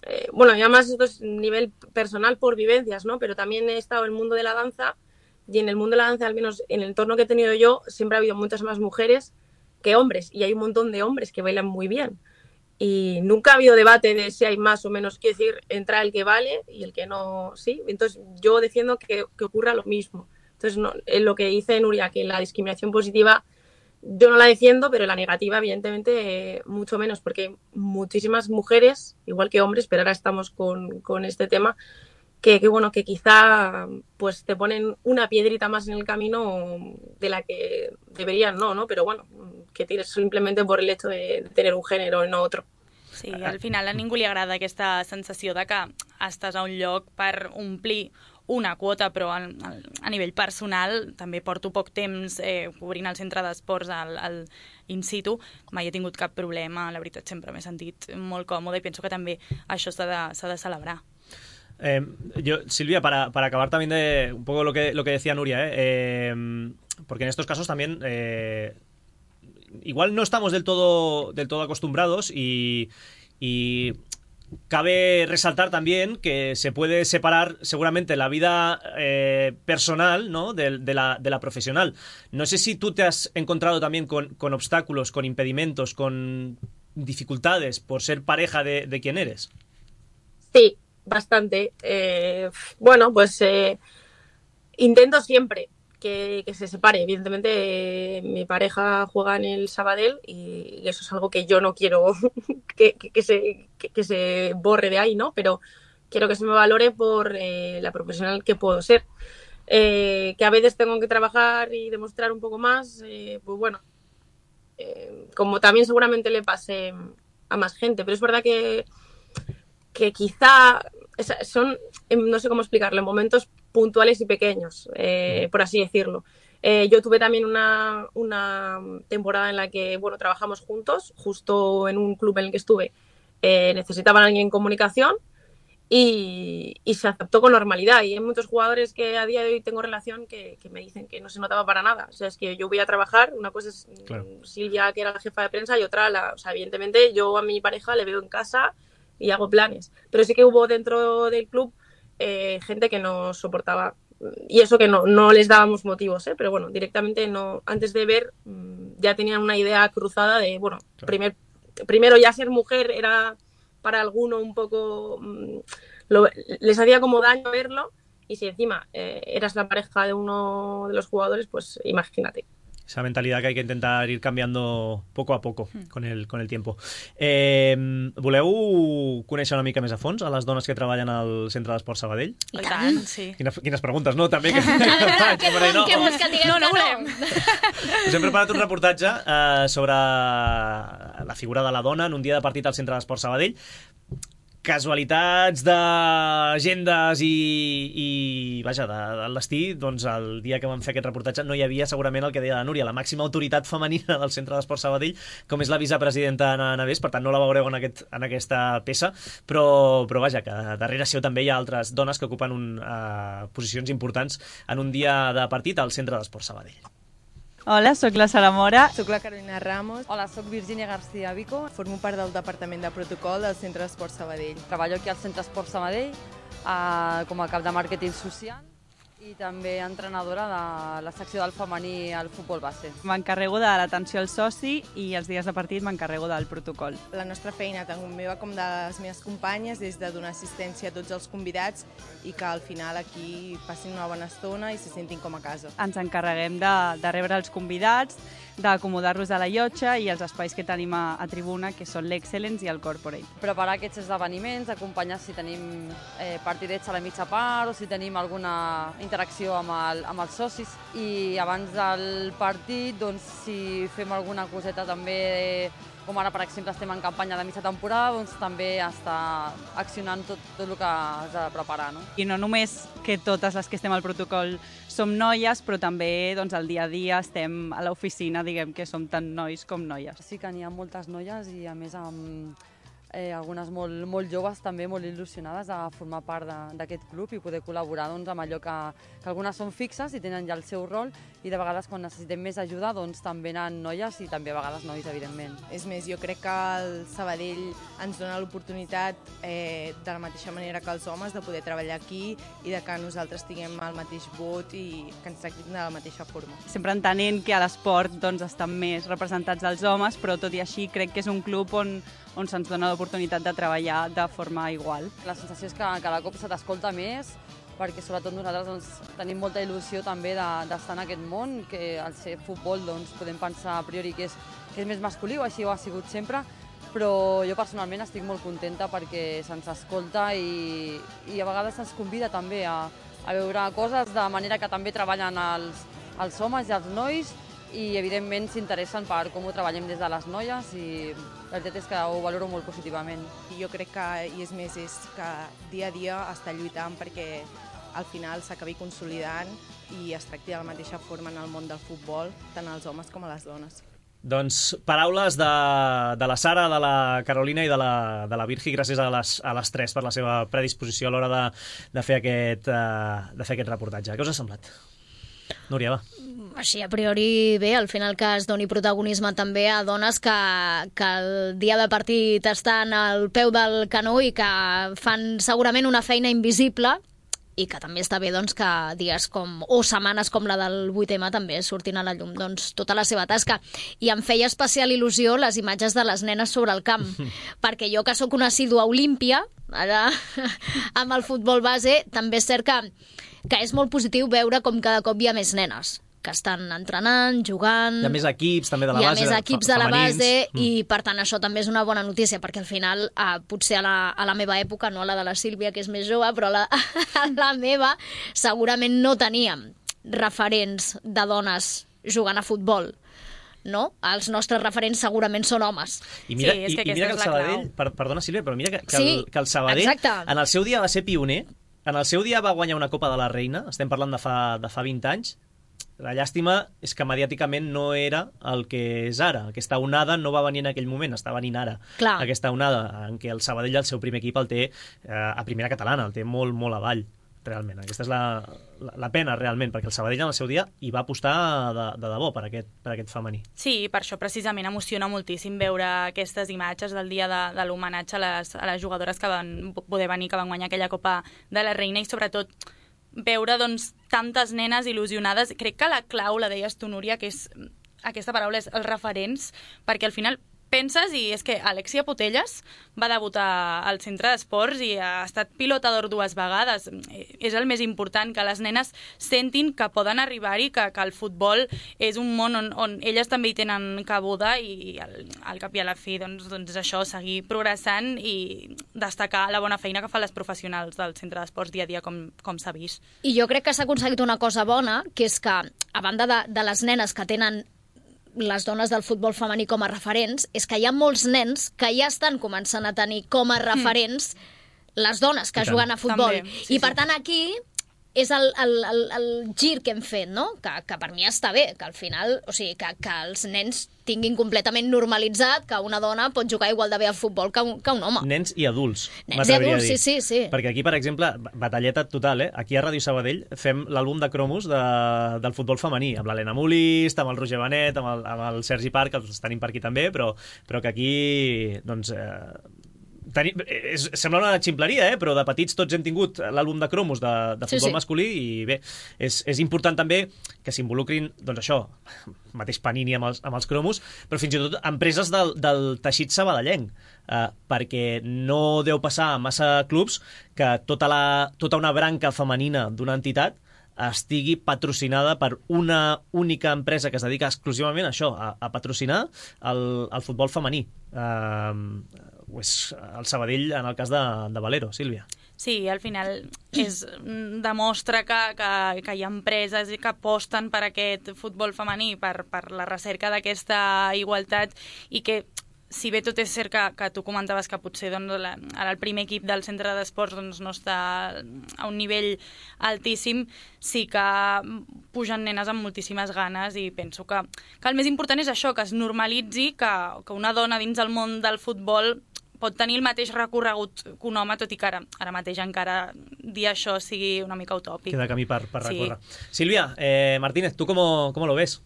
[SPEAKER 4] eh, bueno, y además esto es nivel personal por vivencias, ¿no? Pero también he estado en el mundo de la danza, y en el mundo de la danza, al menos en el entorno que he tenido yo, siempre ha habido muchas más mujeres que hombres, y hay un montón de hombres que bailan muy bien. Y nunca ha habido debate de si hay más o menos, quiero decir, entra el que vale y el que no, sí. Entonces yo defiendo que, que ocurra lo mismo. Entonces no, lo que dice Nuria, que la discriminación positiva yo no la defiendo, pero la negativa evidentemente eh, mucho menos, porque muchísimas mujeres, igual que hombres, pero ahora estamos con, con este tema, que, que bueno, que quizá pues te ponen una piedrita más en el camino de la que deberían no, ¿no? Pero bueno, que tires simplemente por el hecho de tener un género y no otro.
[SPEAKER 5] Sí, al final a ningú li agrada aquesta sensació de que estàs a un lloc per omplir una quota, però a, a nivell personal també porto poc temps eh, cobrint el centre d'esports al, al in situ, mai he tingut cap problema, la veritat sempre m'he sentit molt còmode i penso que també això s'ha de, s'ha de celebrar.
[SPEAKER 2] Eh, yo, Silvia, para, para acabar también de un poco lo que, lo que decía Nuria, eh, eh, porque en estos casos también eh, igual no estamos del todo, del todo acostumbrados y, y cabe resaltar también que se puede separar seguramente la vida eh, personal, ¿no?, de, de, la, de la profesional. No sé si tú te has encontrado también con, con obstáculos, con impedimentos, con dificultades por ser pareja de, de quien eres.
[SPEAKER 4] Sí, bastante. Eh, bueno, pues eh, intento siempre que, que se separe. Evidentemente, eh, mi pareja juega en el Sabadell y, y eso es algo que yo no quiero que, que, que, se, que, que se borre de ahí, ¿no? Pero quiero que se me valore por eh, la profesional que puedo ser. Eh, que a veces tengo que trabajar y demostrar un poco más, eh, pues bueno, eh, como también seguramente le pase a más gente. Pero es verdad que que quizá son, no sé cómo explicarlo, en momentos puntuales y pequeños, eh, por así decirlo. Eh, yo tuve también una, una temporada en la que, bueno, trabajamos juntos, justo en un club en el que estuve, eh, necesitaban a alguien en comunicación y, y se aceptó con normalidad. Y hay muchos jugadores que a día de hoy tengo relación que, que me dicen que no se notaba para nada. O sea, es que yo voy a trabajar, una cosa es claro. Silvia, que era la jefa de prensa, y otra, la, o sea, evidentemente yo a mi pareja le veo en casa y hago planes, pero sí que hubo dentro del club eh, gente que no soportaba, y eso que no, no les dábamos motivos, ¿eh? Pero bueno, directamente no, antes de ver ya tenían una idea cruzada de, bueno, claro. primer, primero ya ser mujer era para alguno un poco, lo, les hacía como daño verlo, y si encima eh, eras la pareja de uno de los jugadores, pues imagínate.
[SPEAKER 2] Esa mentalidad que hay que intentar ir cambiando poco a poco con el, con el tiempo. Eh, voleu conèixer una mica més a fons a les dones que treballen al Centre d'Esports Sabadell?
[SPEAKER 5] I tant, sí.
[SPEAKER 2] Quines, quines preguntes, no? També que,
[SPEAKER 3] que, que, que, no, que vols que diguem no, no volem.
[SPEAKER 2] Us hem preparat un reportatge eh, sobre la figura de la dona en un dia de partit al Centre d'Esports Sabadell. Casualitats d'agendes i, i vaja, de, de l'estí, doncs el dia que vam fer aquest reportatge no hi havia segurament el que deia la Núria, la màxima autoritat femenina del Centre d'Esports Sabadell, com és la vicepresidenta Ana Navés, per tant no la veureu en, aquest, en aquesta peça, però, però vaja, que darrere seu també hi ha altres dones que ocupen un, uh, posicions importants en un dia de partit al Centre d'Esports Sabadell.
[SPEAKER 11] Hola, sóc la Sara Mora.
[SPEAKER 12] Soc la Carolina Ramos.
[SPEAKER 13] Hola, sóc Virginia García Vico.
[SPEAKER 12] Formo part del Departament de Protocol del Centre d'Esports Sabadell.
[SPEAKER 13] Treballo aquí al Centre d'Esports Sabadell eh, com a cap de màrqueting social i també entrenadora de la secció del femení al futbol base.
[SPEAKER 11] M'encarrego de l'atenció al soci i els dies de partit m'encarrego del protocol.
[SPEAKER 12] La nostra feina, tant meva com de les meves companyes, és de donar assistència a tots els convidats i que al final aquí passin una bona estona i se sentin com a casa.
[SPEAKER 11] Ens encarreguem de, de rebre els convidats, d'acomodar-los a la llotja i els espais que tenim a, a tribuna, que són l'Excellence i el Corporate.
[SPEAKER 13] Preparar aquests esdeveniments, acompanyar si tenim eh, partidets a la mitja part o si tenim alguna interacció amb, el, amb els socis, i abans del partit, doncs, si fem alguna coseta també, com ara, per exemple, estem en campanya de mitja temporada, doncs també està accionant tot, tot el que has de preparar. No?
[SPEAKER 11] I no només que totes les que estem al protocol som noies, però també doncs, al dia a dia estem a l'oficina, diguem que som tant nois com noies.
[SPEAKER 13] Sí que n'hi ha moltes noies i, a més, amb eh, algunes molt, molt joves també molt il·lusionades a formar part d'aquest club i poder col·laborar doncs, amb allò que, que algunes són fixes i tenen ja el seu rol, i de vegades quan necessitem més ajuda doncs, també venen noies i també a vegades nois, evidentment.
[SPEAKER 12] És més, jo crec que el Sabadell ens dona l'oportunitat eh, de la mateixa manera que els homes de poder treballar aquí i de que nosaltres tinguem el mateix vot i que ens tractin de la mateixa forma.
[SPEAKER 11] Sempre entenent que a l'esport doncs, estan més representats els homes, però tot i així crec que és un club on on se'ns dona l'oportunitat de treballar de forma igual.
[SPEAKER 13] La sensació és que cada cop se t'escolta més, perquè sobretot nosaltres doncs, tenim molta il·lusió també d'estar en aquest món, que al ser futbol doncs, podem pensar a priori que és, que és més masculí, o així ho ha sigut sempre, però jo personalment estic molt contenta perquè se'ns escolta i, i a vegades se'ns convida també a, a veure coses de manera que també treballen els, els homes i els nois, i evidentment s'interessen per com ho treballem des de les noies i la veritat és que ho valoro molt positivament.
[SPEAKER 12] Jo crec que, i és més, és que dia a dia està lluitant perquè al final s'acabi consolidant i es tracti de la mateixa forma en el món del futbol, tant els homes com a les dones.
[SPEAKER 2] Doncs paraules de, de la Sara, de la Carolina i de la, de la Virgi, gràcies a les, a les tres per la seva predisposició a l'hora de, de, fer aquest, uh, de fer aquest reportatge. Què us ha semblat? Núria, va.
[SPEAKER 3] Així, a priori, bé, al final que es doni protagonisme també a dones que, que el dia del partit estan al peu del canó i que fan segurament una feina invisible, i que també està bé doncs, que dies com, o setmanes com la del vuit eme també surtin a la llum doncs, tota la seva tasca. I em feia especial il·lusió les imatges de les nenes sobre el camp, perquè jo que sóc una assídua olímpia, ara amb el futbol base, també és cert que, que és molt positiu veure com cada cop hi ha més nenes que estan entrenant, jugant...
[SPEAKER 2] Hi ha més equips també de la base.
[SPEAKER 3] Hi ha més equips de la base
[SPEAKER 2] mm.
[SPEAKER 3] i, per tant, això també és una bona notícia, perquè al final, eh, potser a la, a la meva època, no a la de la Sílvia, que és més jove, però a la, a la meva segurament no teníem referents de dones jugant a futbol. No? Els nostres referents segurament són homes.
[SPEAKER 2] I mira,
[SPEAKER 3] sí, és
[SPEAKER 2] i,
[SPEAKER 3] que
[SPEAKER 2] i mira que el Sabadell, per, perdona Sílvia, però mira que, que,
[SPEAKER 3] sí,
[SPEAKER 2] el, que el Sabadell
[SPEAKER 3] exacte.
[SPEAKER 2] En el seu dia va ser pioner, en el seu dia va guanyar una Copa de la Reina, estem parlant de fa, de fa vint anys. La llàstima és que mediàticament no era el que és ara. Aquesta onada no va venir en aquell moment, està venint ara.
[SPEAKER 3] Clar.
[SPEAKER 2] Aquesta onada en què el Sabadell, el seu primer equip, el té eh, a primera catalana, el té molt, molt avall, realment. Aquesta és la, la, la pena, realment, perquè el Sabadell en el seu dia hi va apostar de, de debò per aquest, per aquest femení.
[SPEAKER 5] Sí, per això precisament emociona moltíssim veure aquestes imatges del dia de, de l'homenatge a les, a les jugadores que van poder venir, que van guanyar aquella Copa de la Reina, i sobretot veure doncs, tantes nenes il·lusionades. Crec que la clau, la deies tu, Núria, que és aquesta paraula, és els referents, perquè al final penses, i és que Alexia Putellas va debutar al centre d'esports i ha estat pilota d'or dues vegades. És el més important, que les nenes sentin que poden arribar-hi, que, que el futbol és un món on, on elles també hi tenen cabuda, i al, al cap i a la fi doncs, doncs això, seguir progressant i destacar la bona feina que fan les professionals del centre d'esports dia a dia, com, com s'ha vist.
[SPEAKER 3] I jo crec que s'ha aconseguit una cosa bona, que és que, a banda de, de les nenes que tenen les dones del futbol femení com a referents, és que hi ha molts nens que ja estan començant a tenir com a referents les dones que juguen a futbol.
[SPEAKER 5] També, sí,
[SPEAKER 3] I per
[SPEAKER 5] sí.
[SPEAKER 3] tant aquí és el, el, el, el gir que hem fet, no? Que, que per mi està bé, que al final, o sigui, que, que els nens tinguin completament normalitzat que una dona pot jugar igual de bé al futbol que un, que un home.
[SPEAKER 2] Nens i adults.
[SPEAKER 3] Nens i adults, sí, sí, sí.
[SPEAKER 2] Perquè aquí, per exemple, batalleta total, eh? Aquí a Ràdio Sabadell fem l'àlbum de cromos de, del futbol femení, amb l'Helena Molist, amb el Roger Benet, amb el, amb el Sergi Parc, que els tenim per aquí també, però, però que aquí, doncs... Eh, Tenim, és, sembla una ximpleria, eh? Però de petits tots hem tingut l'àlbum de cromos de, de futbol sí, sí. masculí, i bé, és, és important també que s'involucrin, doncs això, mateix Panini amb els, amb els cromos, però fins i tot empreses del, del teixit sabadellenc, eh, perquè no deu passar a massa clubs que tota, la, tota una branca femenina d'una entitat estigui patrocinada per una única empresa que es dedica exclusivament a això, a, a patrocinar el, el futbol femení. Eh, és el Sabadell en el cas de, de Valero, Sílvia.
[SPEAKER 5] Sí, al final és, demostra que, que, que hi ha empreses que aposten per aquest futbol femení, per, per la recerca d'aquesta igualtat, i que, si bé tot és cert que, que tu comentaves que potser doncs, la, ara el primer equip del centre d'esports doncs, no està a un nivell altíssim, sí que pugen nenes amb moltíssimes ganes, i penso que, que el més important és això, que es normalitzi que, que una dona dins del món del futbol pot tenir el mateix recorregut que un home, tot i que ara, ara mateix encara dir això sigui una mica utòpic.
[SPEAKER 2] Queda camí per, per
[SPEAKER 5] sí.
[SPEAKER 2] recórrer. Silvia, eh, Martínez, ¿tú cómo, cómo lo ves?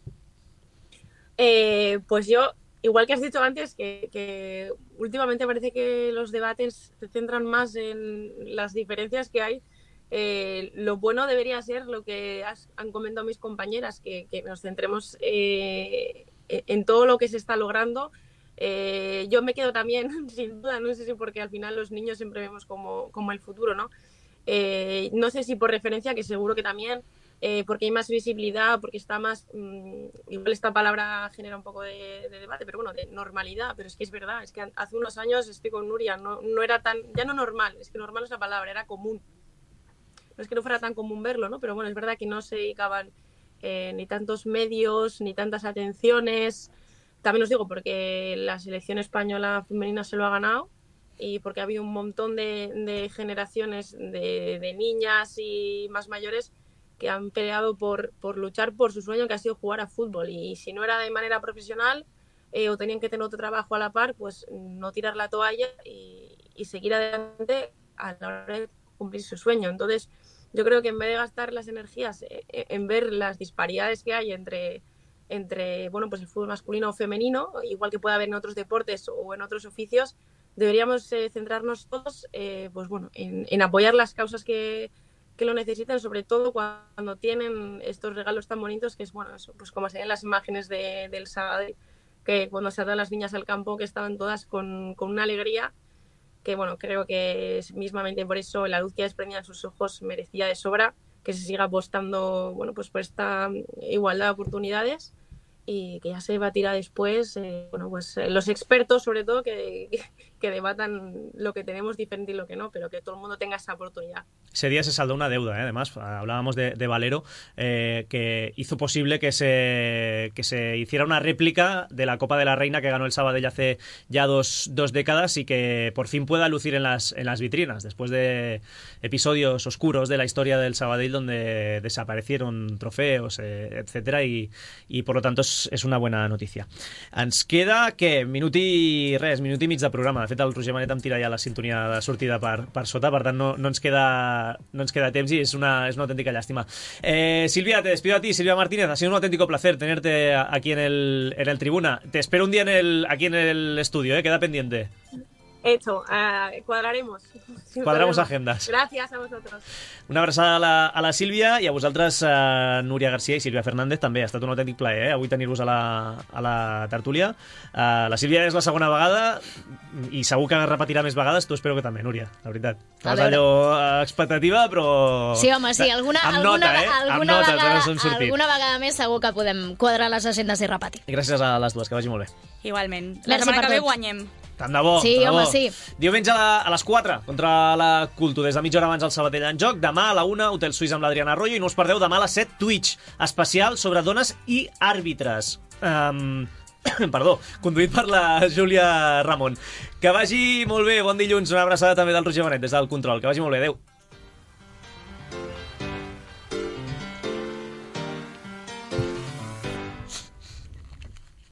[SPEAKER 4] Eh, pues yo, igual que has dicho antes, que, que últimamente parece que los debates se centran más en las diferencias que hay. Eh, lo bueno debería ser lo que has, han comentado mis compañeras, que, que nos centremos eh, en todo lo que se está logrando. Eh, yo me quedo también, sin duda, no sé si porque al final los niños siempre vemos como, como el futuro, ¿no? Eh, no sé si por referencia, que seguro que también, eh, porque hay más visibilidad, porque está más, mmm, igual esta palabra genera un poco de, de debate, pero bueno, de normalidad, pero es que es verdad, es que hace unos años, estoy con Nuria, no, no era tan, ya no normal, es que normal es la palabra, era común. No es que no fuera tan común verlo, ¿no? Pero bueno, es verdad que no se dedicaban eh, ni tantos medios, ni tantas atenciones. También os digo porque la selección española femenina se lo ha ganado y porque ha habido un montón de, de generaciones de, de niñas y más mayores que han peleado por, por luchar por su sueño, que ha sido jugar a fútbol. Y si no era de manera profesional eh, o tenían que tener otro trabajo a la par, pues no tirar la toalla y, y seguir adelante a la hora de cumplir su sueño. Entonces, yo creo que en vez de gastar las energías en ver las disparidades que hay entre, entre bueno, pues el fútbol masculino o femenino, igual que puede haber en otros deportes o en otros oficios, deberíamos eh, centrarnos todos eh, pues bueno, en, en apoyar las causas que, que lo necesitan, sobre todo cuando tienen estos regalos tan bonitos, que es bueno, eso, pues como se ven las imágenes de, del sábado, que cuando saltan las niñas al campo, que estaban todas con, con una alegría que bueno, creo que mismamente por eso la luz que desprendía en sus ojos merecía de sobra que se siga apostando bueno, pues por esta igualdad de oportunidades y que ya se debatirá después, eh, bueno, pues eh, los expertos sobre todo que, que debatan lo que tenemos diferente y lo que no, pero que todo el mundo tenga esa oportunidad.
[SPEAKER 2] Ese día se saldó una deuda, ¿eh? Además, hablábamos de, de Valero, eh, que hizo posible que se, que se hiciera una réplica de la Copa de la Reina que ganó el Sabadell hace ya dos, dos décadas y que por fin pueda lucir en las, en las vitrinas, después de episodios oscuros de la historia del Sabadell donde desaparecieron trofeos, eh, etcétera, y, y por lo tanto és, és una bona notícia. Ens queda, què? Minut i res, minut i mig de programa. De fet, el Roger Manet em tira ja la sintonia de sortida per, per sota, per tant no, no, ens queda, no ens queda temps i és una, és una auténtica llàstima. Eh, Silvia, te despido a ti, Silvia Martínez. Ha sido un auténtico placer tenerte aquí en el, en el Tribuna. Te espero un día en el, aquí en el estudio, ¿eh? Queda pendiente.
[SPEAKER 4] Hecho, uh, cuadraremos.
[SPEAKER 2] Quadramos agendas.
[SPEAKER 4] Gràcies a vosotros.
[SPEAKER 2] Una abraçada a la, a la Sílvia i a vosaltres, uh, Núria Garcia i Sílvia Fernández, també. Ha estat un autèntic plaer, eh? Avui tenir-vos a, la, a la tertúlia. Uh, la Sílvia és la segona vegada i segur que repetirà més vegades. Tu espero que també, Núria, la veritat. Estàs allò uh, expectativa, però...
[SPEAKER 3] Sí, home, sí. Alguna,
[SPEAKER 2] amb
[SPEAKER 3] alguna,
[SPEAKER 2] nota, eh?
[SPEAKER 3] alguna,
[SPEAKER 2] amb nota,
[SPEAKER 3] vegada, alguna vegada més segur que podem quadrar les agendes i repetir.
[SPEAKER 2] Gràcies a les dues, que vagi molt bé.
[SPEAKER 5] Igualment. La setmana que ve guanyem.
[SPEAKER 2] Tant de bo,
[SPEAKER 3] sí,
[SPEAKER 2] tant de
[SPEAKER 3] home,
[SPEAKER 2] bo.
[SPEAKER 3] sí.
[SPEAKER 2] Diumenge a, la, a les quatre contra la Culto, des de mitja hora abans el Sabadell en joc. Demà a la una, Hotel Suís amb l'Adriana Arroyo. I no us perdeu demà a les set, Twitch, especial sobre dones i àrbitres. Um, perdó, conduït per la Júlia Ramon. Que vagi molt bé, bon dilluns. Una abraçada també del Roger Manet des del control. Que vagi molt bé, adeu.